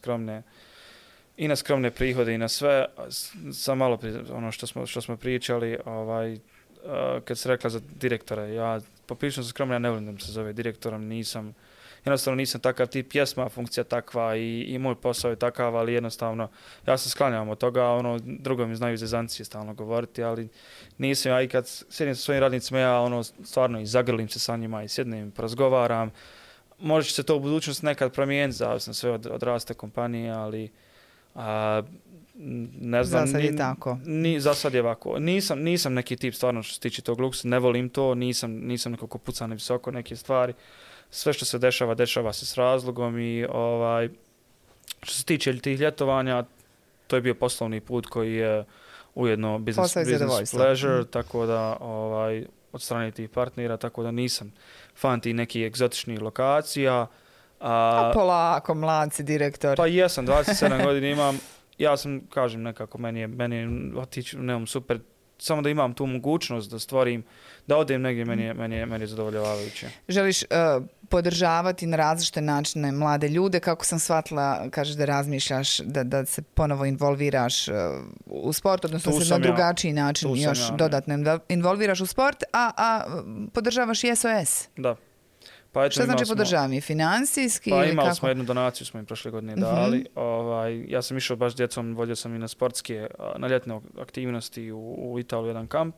skromne prihode i na sve. Sam malo ono što smo pričali, kad se rekla za direktora, ja poprilično sam skromno, ja ne volim da mi se zove direktorom, jednostavno nisam takav tip, jesma funkcija takva i moj posao je takav, ali jednostavno ja se sklanjam od toga, drugo mi znaju zezancije stalno govoriti, ali nisam ja i kad sjedim sa svojim radnicima, ja stvarno i zagrlim se sa njima i sjednem, porazgovaram. Može se to u budućnosti nekad promijeniti, zavisno sve od rasta kompanije, ali ne znam. Za sad je tako. Za sad je ovako. Nisam neki tip stvarno što se tiče tog luksa, ne volim to, nisam nekako pucan visoko neke stvari. Sve što se dešava se s razlogom i što se tiče tih ljetovanja, to je bio poslovni put koji je ujedno business pleasure, tako da od strane tih partnera, tako da nisam fan tih nekih egzotičnih lokacija. Polako, mladci, direktor. Pa jesam, 27 godina imam. Ja sam, kažem nekako, meni je otići nemam super, samo da imam tu mogućnost da stvorim, da odem negdje, meni je zadovoljavajuće. Želiš podržavati na različite načine mlade ljude, kako sam shvatila, kažeš da razmišljaš, da se ponovo involviraš u sport, odnosno se na drugačiji način još dodatno involviraš u sport, a podržavaš i SOS. Da. Šta znači podržavanje? Finansijski? Pa imali smo jednu donaciju, smo im prošle godine dali. Ja sam išao baš s djecom, vodio sam i na sportske, na ljetne aktivnosti u Italiju, jedan kamp.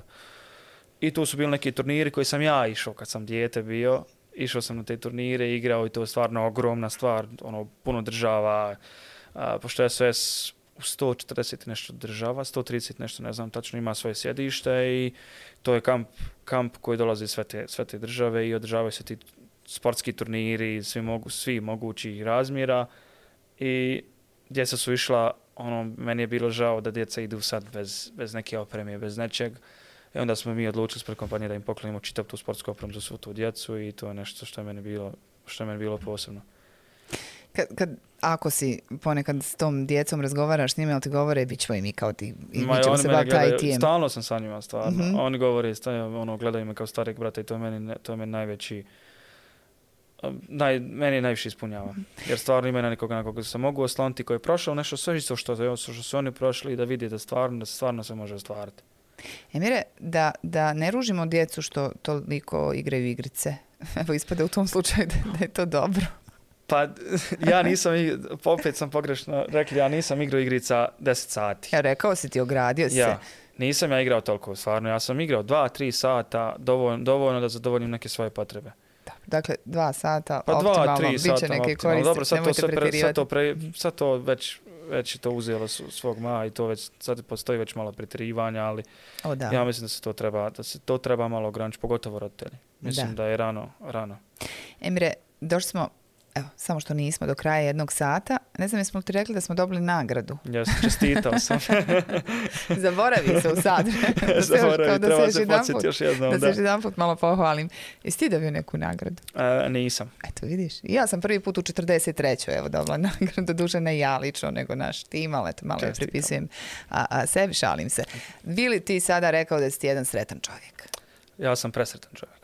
I tu su bili neki turniri koji sam ja išao kad sam dijete bio. Išao sam na te turnire, igrao i to je stvarno ogromna stvar, puno država. Pošto je SOS u 140 nešto država, 130 nešto, ne znam, tačno ima svoje sjedište i to je kamp koji dolazi sve te države i održavaju se ti sportski turniri, svi mogući razmjera i djeca su išla, meni je bilo žao da djeca idu sad bez neke opreme, bez nečeg. I onda smo mi odlučili s kompanije da im poklonimo čitav tu sportsku opremu za svu tu djecu i to je nešto što je meni bilo posebno. Ako si ponekad s tom djecom razgovaraš s njima, ali ti govore, bit ćemo i mi kao ti, i mi ćemo se baviti IT-em. Stalno sam sa njima, stvarno. Oni govore, gledaju me kao starijeg brata i to je meni najveći, meni je najviše ispunjava. Jer stvarno ima nekoga na koga se mogu osloniti, koji je prošao nešto sve isto što su oni prošli i da vidi da stvarno se može ostvariti. Emire, da ne ružimo djecu što toliko igraju igrice. Evo ispada u tom slučaju da je to dobro. Pa ja nisam, opet sam pogrešno rekli, ja nisam igrao igrica 10 sati. Ja rekao si ti, ogradio se. Ja, nisam ja igrao toliko, stvarno. Ja sam igrao 2-3 sata, dovoljno da zadovoljim neke svoje potrebe. Dakle, 2 sata, pa optimalno, bit će neke koristi, dobro, nemojte pretjerivati. Sad to već je to uzelo svog maha i to već, sad postoji već malo pretjerivanja, ali ja mislim da se to treba malo ograničiti, pogotovo roditelji. Mislim da je rano. Emire, došli smo Evo, samo što nismo do kraja jednog sata. Ne znam, jesmo li ti rekli da smo dobili nagradu? Jesam, čestitao sam. Zaboravi se u sad. Zaboravi, treba se podsjeti još jednom. Da se još jedan put malo pohvalim. Jesi ti dobio neku nagradu? Nisam. Eto, vidiš. Ja sam prvi put u 43. evo dobila nagradu, duže ne ja lično, nego naš tim, ali eto, malo je pripisujem sebi, šalim se. Bi li ti sada rekao da si ti jedan sretan čovjek? Ja sam presretan čovjek.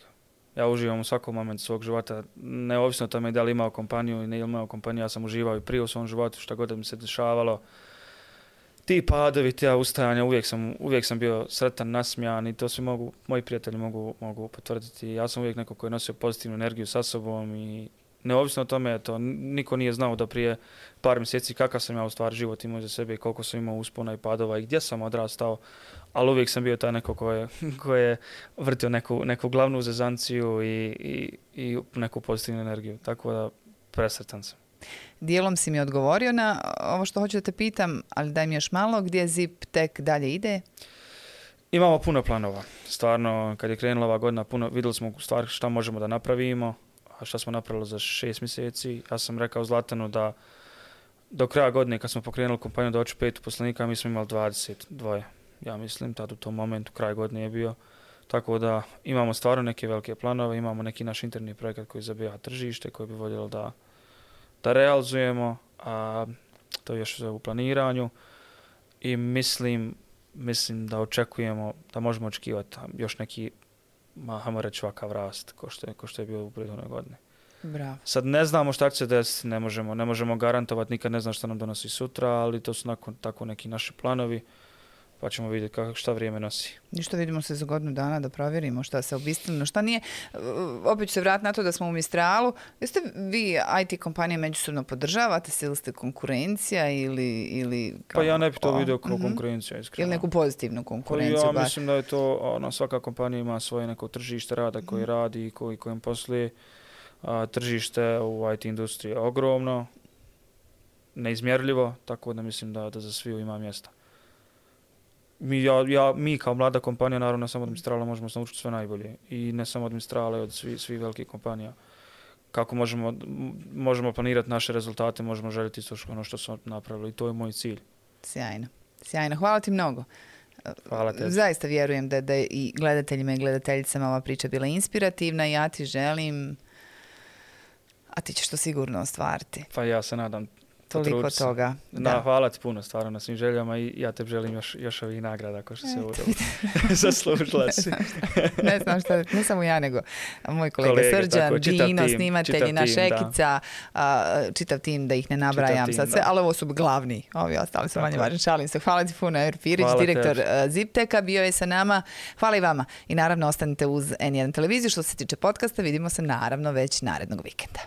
Ja uživam u svakom momentu svog života, neovisno o tome da li imao kompaniju i ne imao kompaniju, ja sam uživao i prije u svom životu, šta god da mi se dešavalo. Ti padovi, ta ustajanja, uvijek sam bio sretan, nasmijan i to svi moji prijatelji mogu potvrditi. Ja sam uvijek neko koji je nosio pozitivnu energiju sa sobom i neovisno o tome, to niko nije znao da prije par mjeseci kakav sam ja u stvari život imao za sebe i koliko sam imao uspona i padova i gdje sam odrastao, ali uvijek sam bio taj neko koji je vrtio neku glavnu zezanciju i neku pozitivnu energiju, tako da presretan sam. Dijelom si mi odgovorio na ovo što hoću da te pitam, ali daj mi još malo, gdje Zip tek dalje ide? Imamo puno planova. Stvarno, kad je krenula ova godina, vidjeli smo u stvari šta možemo da napravimo, a šta smo napravili za 6 mjeseci. Ja sam rekao Zlatanu da do kraja godine, kad smo pokrenuli kompaniju da hoću 5 uposlenika, mi smo imali 22. Ja mislim, tad u tom momentu, kraj godine je bio. Tako da imamo stvarno neke velike planove, imamo neki naš interni projekat koji zabija tržište, koji bi voljeli da realizujemo, a to je još u planiranju i mislim da očekujemo, da možemo očekivati još neki, hajmo reći, ovakav rast ko što je bio u prethodnoj godini. Bravo. Sad ne znamo šta će se desiti, ne možemo garantovati, nikad ne znam šta nam donosi sutra, ali to su tako neki naši planovi, pa ćemo vidjeti šta vrijeme nosi. Ništa, vidimo se za godinu dana da provjerimo šta se obistinilo, šta nije. Opet ću se vratiti na to da smo u Mistralu. Jeste vi IT kompanije međusobno podržavate se ili ste konkurencija ili pa ja ne bih to vidio kao konkurencija, iskreno. Ili neku pozitivnu konkurenciju? Ja mislim da je to, svaka kompanija ima svoje neko tržište rada koji radi i kojim posluje. Tržište u IT industriji je ogromno, neizmjerljivo, tako da mislim da za sviju ima mjesta. Mi kao mlada kompanija, naravno ne samo od Mistrala, možemo se naučiti sve najbolje. I ne samo od Mistrala, od svih velikih kompanija. Kako možemo planirati naše rezultate, možemo željeti isto ono što smo napravili. I to je moj cilj. Sjajno. Hvala ti mnogo. Hvala te. Zaista vjerujem da je i gledateljima i gledateljicama ova priča bila inspirativna i ja ti želim, a ti ćeš to sigurno ostvariti. Pa ja se nadam. Toliko toga. Da, hvala ti puno stvarno na svim željama i ja te želim još ovih nagrada ko što se zaslužila si. Ne znam šta, ne samo ja nego moj kolega Srđan, Dino, snimatelji, naša ekica, čitav tim da ih ne nabrajam sad sve, ali ovo su glavni, ovi ostali su manje važni. Šalim se. Hvala ti puno, Emir Pirić, direktor Zipteka, bio je sa nama. Hvala i vama. I naravno ostanite uz N1 televiziju. Što se tiče podcasta, vidimo se naravno već narednog vikenda.